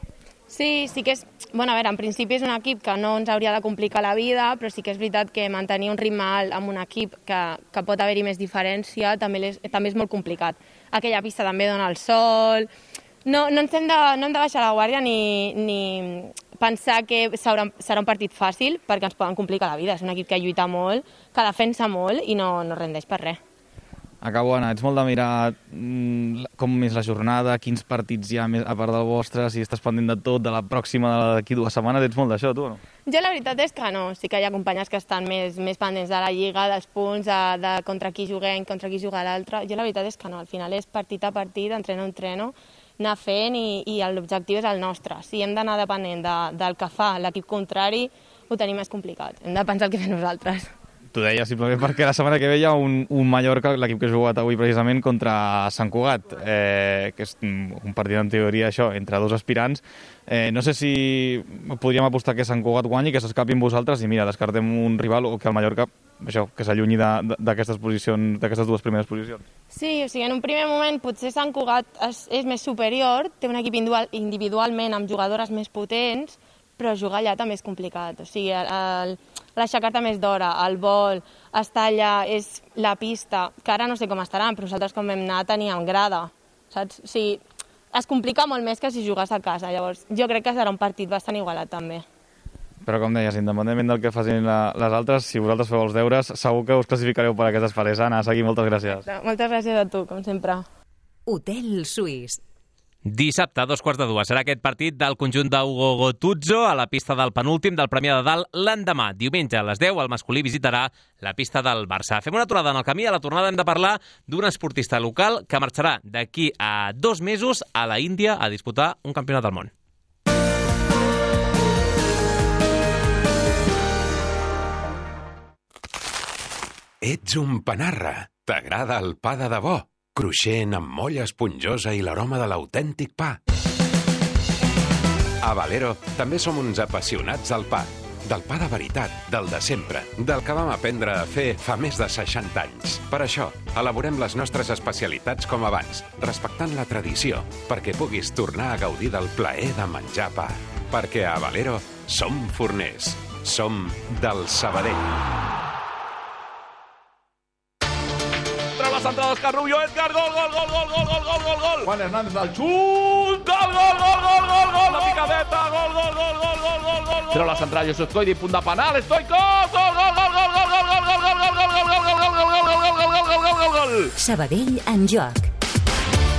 Sí que és... Bueno, a veure, en principi és un equip que no ens hauria de complicar la vida, però sí que és veritat que mantenir un ritme alt amb un equip que pot haver-hi més diferència també és molt complicat. Aquella pista també dona el sol... No hem de baixar la guàrdia ni pensar que serà un partit fàcil perquè ens poden complicar la vida. És un equip que lluita molt, que defensa molt i no rendeix per res. Acabo, Anna, ets molt de mirar com és la jornada, quins partits hi ha a part del vostre, si estàs pendent de tot, de la pròxima d'aquí 2 setmanes, ets molt d'això, tu o no? Jo la veritat és que no, sí que hi ha companyes que estan més pendents de la Lliga, dels punts, de contra qui juguem, contra qui juga l'altre. Jo la veritat és que no, al final és partit a partit, entreno a entreno, anar fent i l'objectiu és el nostre. Si hem d'anar depenent del que fa l'equip contrari, ho tenim més complicat. Hem de pensar el que fem nosaltres. T'ho deia simplement perquè la setmana que ve hi ha un Mallorca, l'equip que ha jugat avui precisament, contra Sant Cugat, que és un partit en teoria això, entre 2 aspirants. No sé si podríem apostar que Sant Cugat guanyi, que s'escapi amb vosaltres i mira, descartem un rival o que el Mallorca això, que s'allunyi d'aquestes posicions, d'aquestes 2 primeres posicions. Sí, o sigui, en un primer moment potser Sant Cugat és més superior, té un equip individualment amb jugadores més potents, però jugar allà també és complicat. O sigui, l'aixecar-te més d'hora, el vol, estar allà, és la pista, que ara no sé com estaran, però nosaltres quan vam anar teníem grada, saps? O sigui, es complica molt més que si jugues a casa. Llavors, jo crec que serà un partit bastant igualat també. Però com deies, independentment del que facin les altres, si vosaltres feu els deures, segur que us classificareu per aquestes fases. Anna, Sagui, moltes gràcies. Moltes gràcies a tu, com sempre. Hotel Suís. Dissabte, a 2:15, serà aquest partit del conjunt d'Hugo Gotuzzo a la pista del penúltim del Premià de Dalt l'endemà. Diumenge a les 10 el masculí visitarà la pista del Barça. Fem una aturada en el camí. A la tornada hem de parlar d'un esportista local que marxarà d'aquí a 2 mesos a la Índia a disputar un campionat del món. Ets un panarra. T'agrada el pa de debò? Cruixent, amb molla esponjosa i l'aroma de l'autèntic pa. A Valero també som uns apassionats del pa. Del pa de veritat, del de sempre, del que vam aprendre a fer fa més de 60 anys. Per això, elaborem les nostres especialitats com abans, respectant la tradició, perquè puguis tornar a gaudir del plaer de menjar pa. Perquè a Valero som forners. Som del Sabadell. Central d'Òscar Rubio, Edgar, gol! Juan Hernández al xut, gol! La picadeta, gol! Treu la central, Josep Coidi, punt de penal, Stoikov, gol! Sabadell en joc.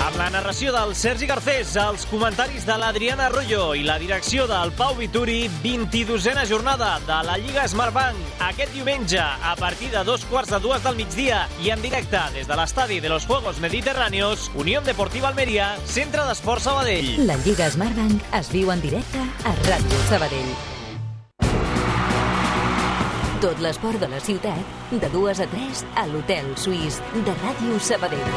Amb la narració del Sergi Garcés, els comentaris de l'Adriana Arroyo i la direcció del Pau Vituri, 22a jornada de la Lliga Smartbank. Aquest diumenge, a partir de 2:15 del migdia i en directe des de l'estadi de los Juegos Mediterráneos, Unión Deportiva Almeria, Centre d'Esport Sabadell. La Lliga Smartbank es viu en directe a Ràdio Sabadell. Tot l'esport de la ciutat, de 2 a 3 a l'Hotel Suís de Ràdio Sabadell.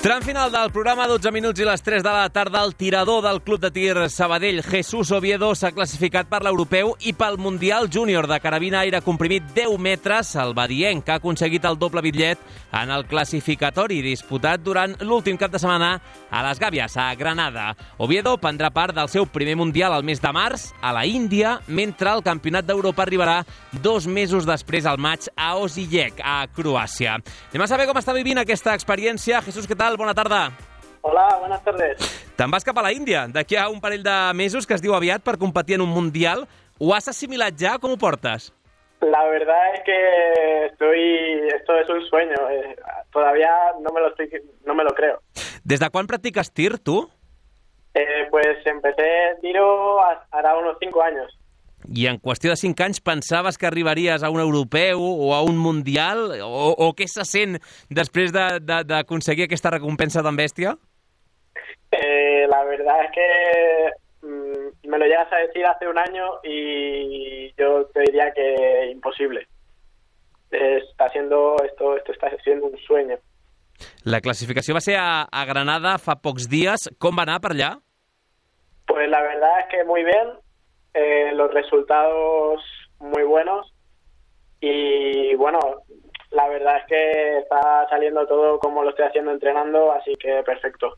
Tram final del programa, 12 minuts i les 3 de la tarda. El tirador del Club de Tir Sabadell, Jesús Oviedo, s'ha classificat per l'Europeu i pel Mundial Júnior de carabina aire comprimit 10 metres. El badienc ha aconseguit el doble bitllet en el classificatori disputat durant l'últim cap de setmana a les Gàbies, a Granada. Oviedo prendrà part del seu primer Mundial al mes de març a la Índia, mentre el Campionat d'Europa arribarà 2 mesos després, al maig, a Osijek, a Croàcia. Anem a saber com està vivint aquesta experiència. Jesús, què tal? Bona tarda. Hola, buenas tardes. Te'n vas cap a la Índia, d'aquí a un parell de mesos, que es diu aviat, per competir en un Mundial. Ho has assimilat ja? Com ho portes? La verdad es que esto es un sueño. Todavía no me lo creo. Des de quan practiques tir, tu? Pues empecé tiro hará unos 5 años. I en qüestió de 5 anys pensaves que arribaries a un europeu o a un mundial? O què se sent després d'aconseguir aquesta recompensa tan bèstia? La verdad es que me lo llegas a decir hace un año y yo te diría que imposible. Esto está siendo un sueño. La classificació va ser a Granada fa pocs dies. Com va anar per allà? Pues la verdad es que muy bien. Los resultados muy buenos y bueno, la verdad es que está saliendo todo como lo estoy haciendo entrenando, así que perfecto.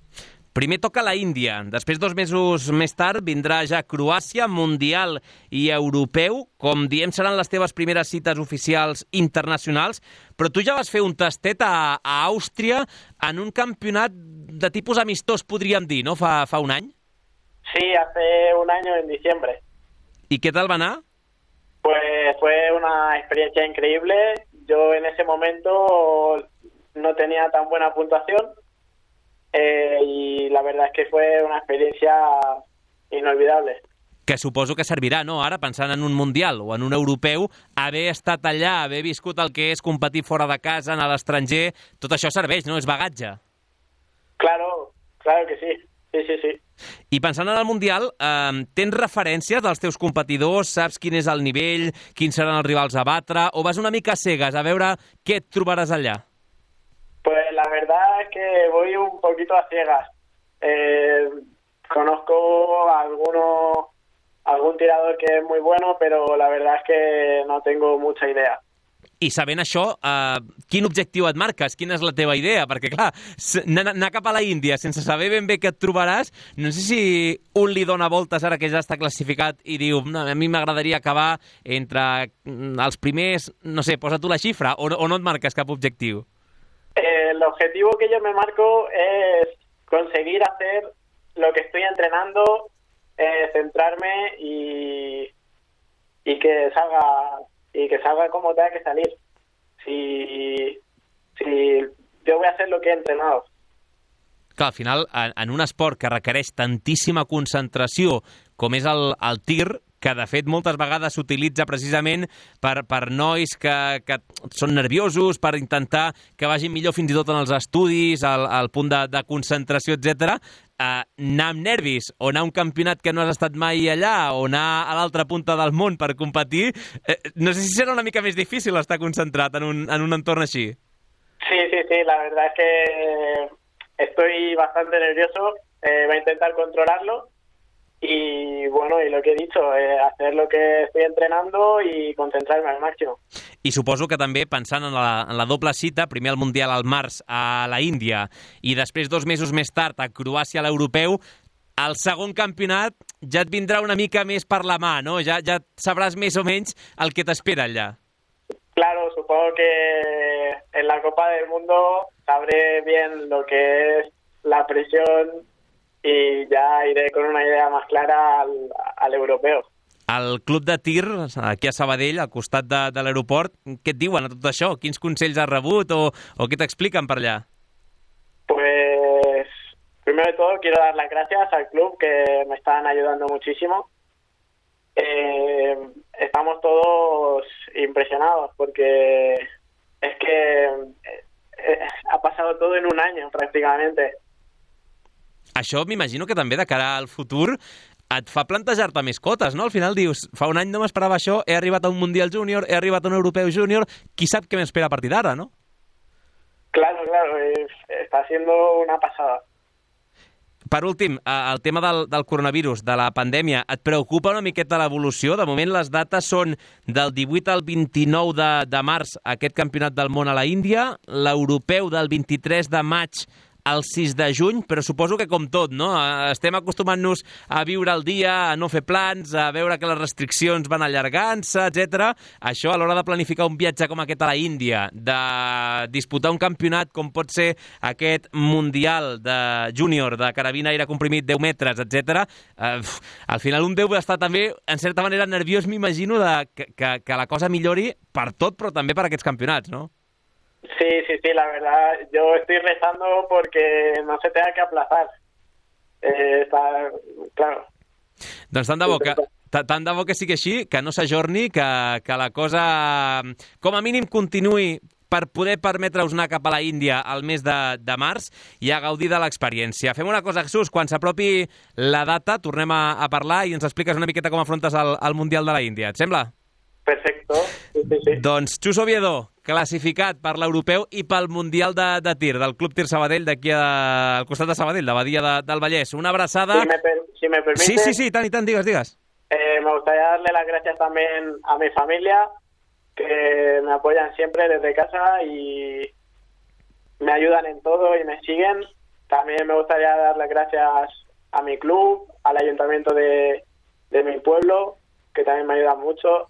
Primer toca la Índia, després 2 mesos més tard vindrà ja Croàcia, Mundial i Europeu. Com diem, seran les teves primeres cites oficials internacionals, però tu ja vas fer un tastet a Àustria en un campionat de tipus amistós, podríem dir, ¿no? Fa un any. Sí, hace un año en diciembre. ¿Y qué tal va a anar? Pues fue una experiencia increíble. Yo en ese momento no tenía tan buena puntuación y la verdad es que fue una experiencia inolvidable. Que suposo que servirà, no?, ara, pensant en un Mundial o en un Europeu, haver estat allà, haver viscut el que és competir fora de casa, anar a l'estranger, tot això serveix, no?, és bagatge. Claro que sí. Sí. I pensant en el Mundial, tens referències dels teus competidors? Saps quin és el nivell, quins seran els rivals a batre, o vas una mica cegues a veure què et trobaràs allà? Pues la verdad es que voy un poquito a ciegas. Conozco algún tirador que es muy bueno, pero la verdad es que no tengo mucha idea. I sabent això, quin objectiu et marques? Quina és la teva idea? Perquè, clar, anar cap a la Índia sense saber ben bé què et trobaràs, no sé si un li dona voltes ara que ja està classificat i diu, no, a mi m'agradaria acabar entre els primers, no sé, posa tu la xifra, o no et marques cap objectiu? El objetivo que yo me marco es conseguir hacer lo que estoy entrenando, centrarme y que salga como tenga que salir. Si yo voy a hacer lo que he entrenado. Clar, al final, en un esport que requereix tantíssima concentració com és el tir, que de fet moltes vegades s'utilitza precisament per nois que són nerviosos, per intentar que vagin millor fins i tot en els estudis, al punt de concentració, etc. Anar amb nervis o anar a un campionat que no has estat mai allà o anar a l'altra punta del món per competir, no sé si serà una mica més difícil estar concentrat en un entorn així. Sí, la verdad es que estoy bastante nervioso, voy a intentar controlarlo. Y bueno, y lo que he dicho, hacer lo que estoy entrenando y concentrarme al máximo. I suposo que també, pensant en la doble cita, primer el Mundial al març a la Índia i després 2 mesos més tard a Croàcia a l'Europeu, el segon campionat ja et vindrà una mica més per la mà, no? Ja sabràs més o menys el que t'espera allà. Claro, supongo que en la Copa del Mundo sabré bien lo que es la presión y ya iré con una idea más clara al europeo. Al club de tir, aquí a Sabadell, al costat de l'aeroport, què et diuen a tot això? Quins consells has rebut o què t'expliquen per allà? Pues, primero de todo, quiero dar las gracias al club, que me están ayudando muchísimo. Estamos todos impresionados porque es que ha pasado todo en un año, prácticamente. Això m'imagino que també de cara al futur et fa plantejar-te més cotes, no? Al final dius, fa un any no m'esperava això, he arribat a un Mundial Júnior, he arribat a un Europeu Júnior, qui sap què m'espera a partir d'ara, no? Claro, está siendo una pasada. Per últim, el tema del coronavirus, de la pandèmia, et preocupa una miqueta l'evolució? De moment les dates són del 18 al 29 de març aquest campionat del món a la Índia, l'europeu del 23 de maig el 6 de juny, però suposo que com tot, no? Estem acostumant-nos a viure el dia, a no fer plans, a veure que les restriccions van allargant-se, etc. Això, a l'hora de planificar un viatge com aquest a la Índia, de disputar un campionat com pot ser aquest Mundial de júnior de carabina aire comprimit 10 metres, etc. Al final un deu estar també, en certa manera, nerviós, m'imagino, que la cosa millori per tot, però també per aquests campionats, no? Sí, la verdad, yo estoy rezando porque no se tenga que aplazar. Está claro. Doncs tant de bo que sigui així, que no s'ajorni, que la cosa, com a mínim, continuï per poder permetre-us anar cap a la Índia al mes de març i a gaudir de l'experiència. Fem una cosa, Jesús, quan s'apropi la data tornem a parlar i ens expliques una miqueta com afrontes el Mundial de la Índia. Et sembla? Perfecto. Sí. Doncs Xus Oviedo, classificat per l'europeu i pel Mundial de tir del Club Tir Sabadell d'aquí al costat de Sabadell, de Badia del Vallès. Una abraçada. Si me permite. Sí, tant, digues. Me gustaría darle las gracias también a mi familia que me apoyan siempre desde casa y me ayudan en todo y me siguen. También me gustaría dar las gracias a mi club, al ayuntamiento de mi pueblo, que también me ayudan mucho,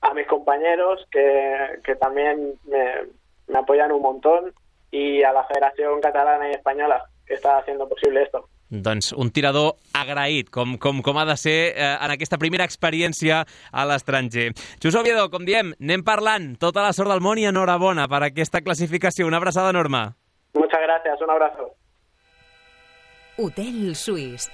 a mis compañeros, que también me apoyan un montón, y a la Federació Catalana i Espanyola, que està haciendo posible esto. Doncs un tirador agraït, com ha de ser en aquesta primera experiència a l'estranger. Xus Oviedo, com diem, anem parlant. Tota la sort del món i enhorabona per aquesta classificació. Una abraçada enorme. Muchas gracias, un abrazo. Hotel Suís.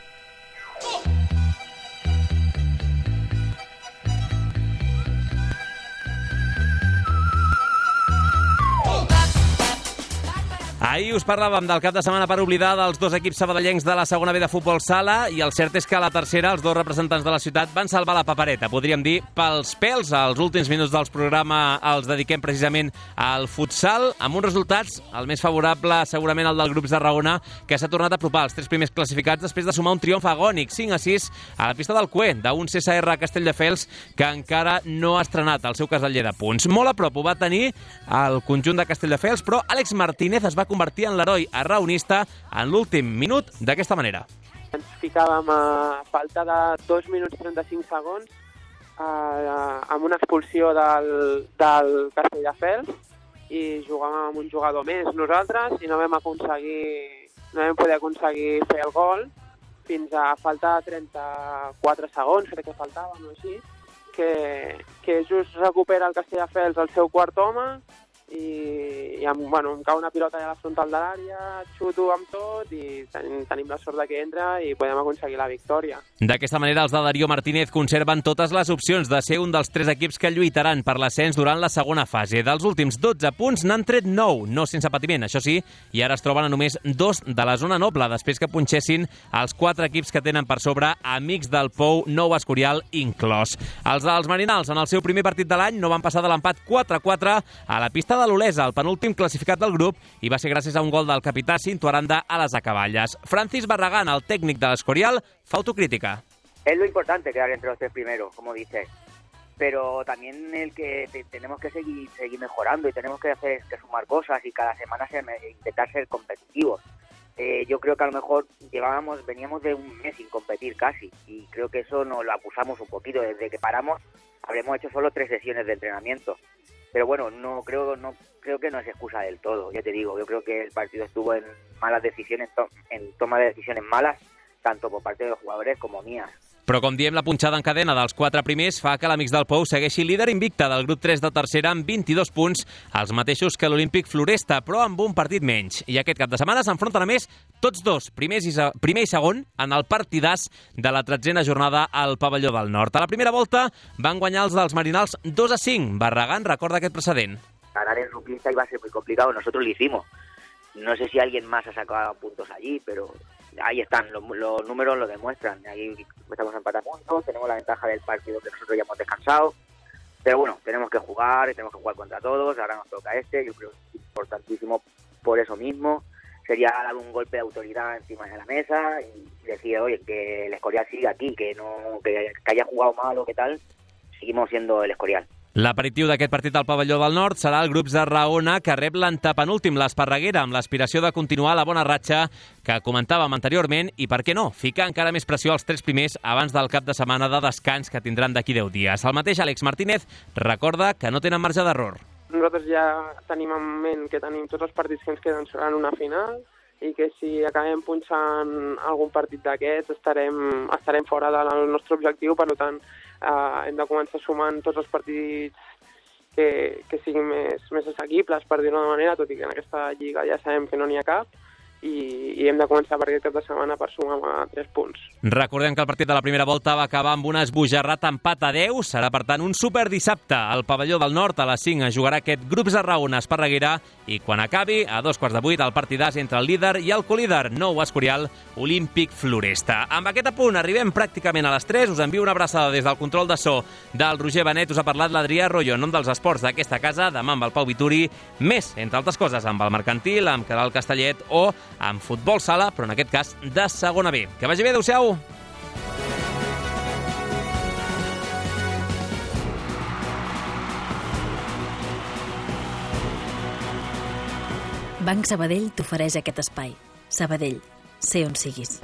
Ahir us parlàvem del cap de setmana per oblidar dels dos equips sabadellencs de la segona B de futbol sala, i el cert és que a la tercera els dos representants de la ciutat van salvar la papereta, podríem dir pels pèls. Els últims minuts del programa els dediquem precisament al futsal, amb uns resultats, el més favorable segurament el del Grups de Raona, que s'ha tornat a apropar als 3 primers classificats després de sumar un triomf agònic, 5-6 a la pista del Cué, d'un CSR Castelldefels que encara no ha estrenat el seu caseller de punts. Molt a prop ho va tenir el conjunt de Castelldefels, però Àlex Martínez es va convertir en l'heroi arraonista en l'últim minut d'aquesta manera. Ens ficàvem a falta de 2 minuts 35 segons amb una expulsió del Castelldefels, i jugàvem amb un jugador més nosaltres i no vam poder aconseguir fer el gol fins a falta de 34 segons, crec que faltava, no així, que just recupera el Castelldefels el seu quart home, i em cau una pilota a la frontal de l'àrea, xuto amb tot i tenim la sort que entra i podem aconseguir la victòria. D'aquesta manera, els de Darío Martínez conserven totes les opcions de ser un dels 3 equips que lluitaran per l'ascens durant la segona fase. Dels últims 12 punts n'han tret 9, no sense patiment, això sí, i ara es troben a només 2 de la zona noble, després que punxessin els 4 equips que tenen per sobre Amics del Pou, Nou Escorial inclòs. Els dels Marinals, en el seu primer partit de l'any, no van passar de l'empat 4-4 a la pista de l'Olesa, el penúltim classificat del grup, i va ser gràcies a un gol del capità Cinto Aranda a les acaballes. Francis Barragán, el técnic de l'Escorial, fa autocrítica. Es lo importante quedar entre los 3 primeros, como dices, pero también el que tenemos que seguir mejorando y tenemos que sumar cosas y cada semana intentar ser competitivos. Yo creo que a lo mejor veníamos de un mes sin competir casi, y creo que eso nos lo abusamos un poquito. Desde que paramos habremos hecho solo 3 sesiones de entrenamiento. Pero bueno, no creo que no es excusa del todo, ya te digo. Yo creo que el partido estuvo en malas decisiones, en toma de decisiones malas, tanto por parte de los jugadores como mías. Però, com diem, la punxada en cadena dels 4 primers fa que l'Amics del Pou segueixi líder invicte del grup 3 de tercera amb 22 punts, els mateixos que l'Olímpic Floresta, però amb un partit menys. I aquest cap de setmana s'enfronten a més tots dos, primer i segon, en el partidàs de la 13a jornada al Pavelló del Nord. A la primera volta van guanyar els dels Marinals 2-5. Barragán recorda aquest precedent. Ganar en Ruquista iba a ser muy complicado, nosotros lo hicimos. No sé si alguien más ha sacado puntos allí, pero ahí están, los números lo demuestran. Ahí estamos empatados puntos, tenemos la ventaja del partido que nosotros ya hemos descansado. Pero bueno, tenemos que jugar contra todos, ahora nos toca yo creo que es importantísimo por eso mismo. Sería dar un golpe de autoridad encima de la mesa y decir, oye, que el Escorial sigue aquí, que haya jugado mal o qué tal, seguimos siendo el Escorial. L'aperitiu d'aquest partit al Pavelló del Nord serà el Grups de Raona, que rep l'antepenúltim, l'Esparreguera, amb l'aspiració de continuar la bona ratxa que comentàvem anteriorment i, per què no, ficar encara més pressió als 3 primers abans del cap de setmana de descans que tindran d'aquí 10 dies. El mateix Àlex Martínez recorda que no tenen marge d'error. Nosaltres ja tenim en ment que tenim tots els partits que ens queden en una final i que si acabem punxant algun partit d'aquests estarem fora del nostre objectiu, per tant hem de començar sumant tots els partits que siguin més assequibles, per dir-ho d'una manera, tot i que en aquesta lliga ja sabem que no n'hi ha cap, i hem de començar per aquest cap de setmana per sumar 3 punts. Recordem que el partit de la primera volta va acabar amb un esbojarrat empat a 10. Serà, per tant, un super dissabte al Pavelló del Nord. A les 5 es jugarà aquest Grups de Raona Esparreguera i quan acabi, a 7:15, el partidàs entre el líder i el colíder, Nou Escorial, Olímpic Floresta. Amb aquest apunt arribem pràcticament a les 3. Us envio una abraçada des del control de so del Roger Benet. Us ha parlat l'Adrià Arroyo en nom dels esports d'aquesta casa, demà amb el Pau Vituri, més, entre altres coses, amb el Mercantil, amb Caral Castellet o amb futbol sala, però en aquest cas de segona B. Que vagi bé, adeu-siau! Banc Sabadell t'ofereix aquest espai. Sabadell, sé on siguis.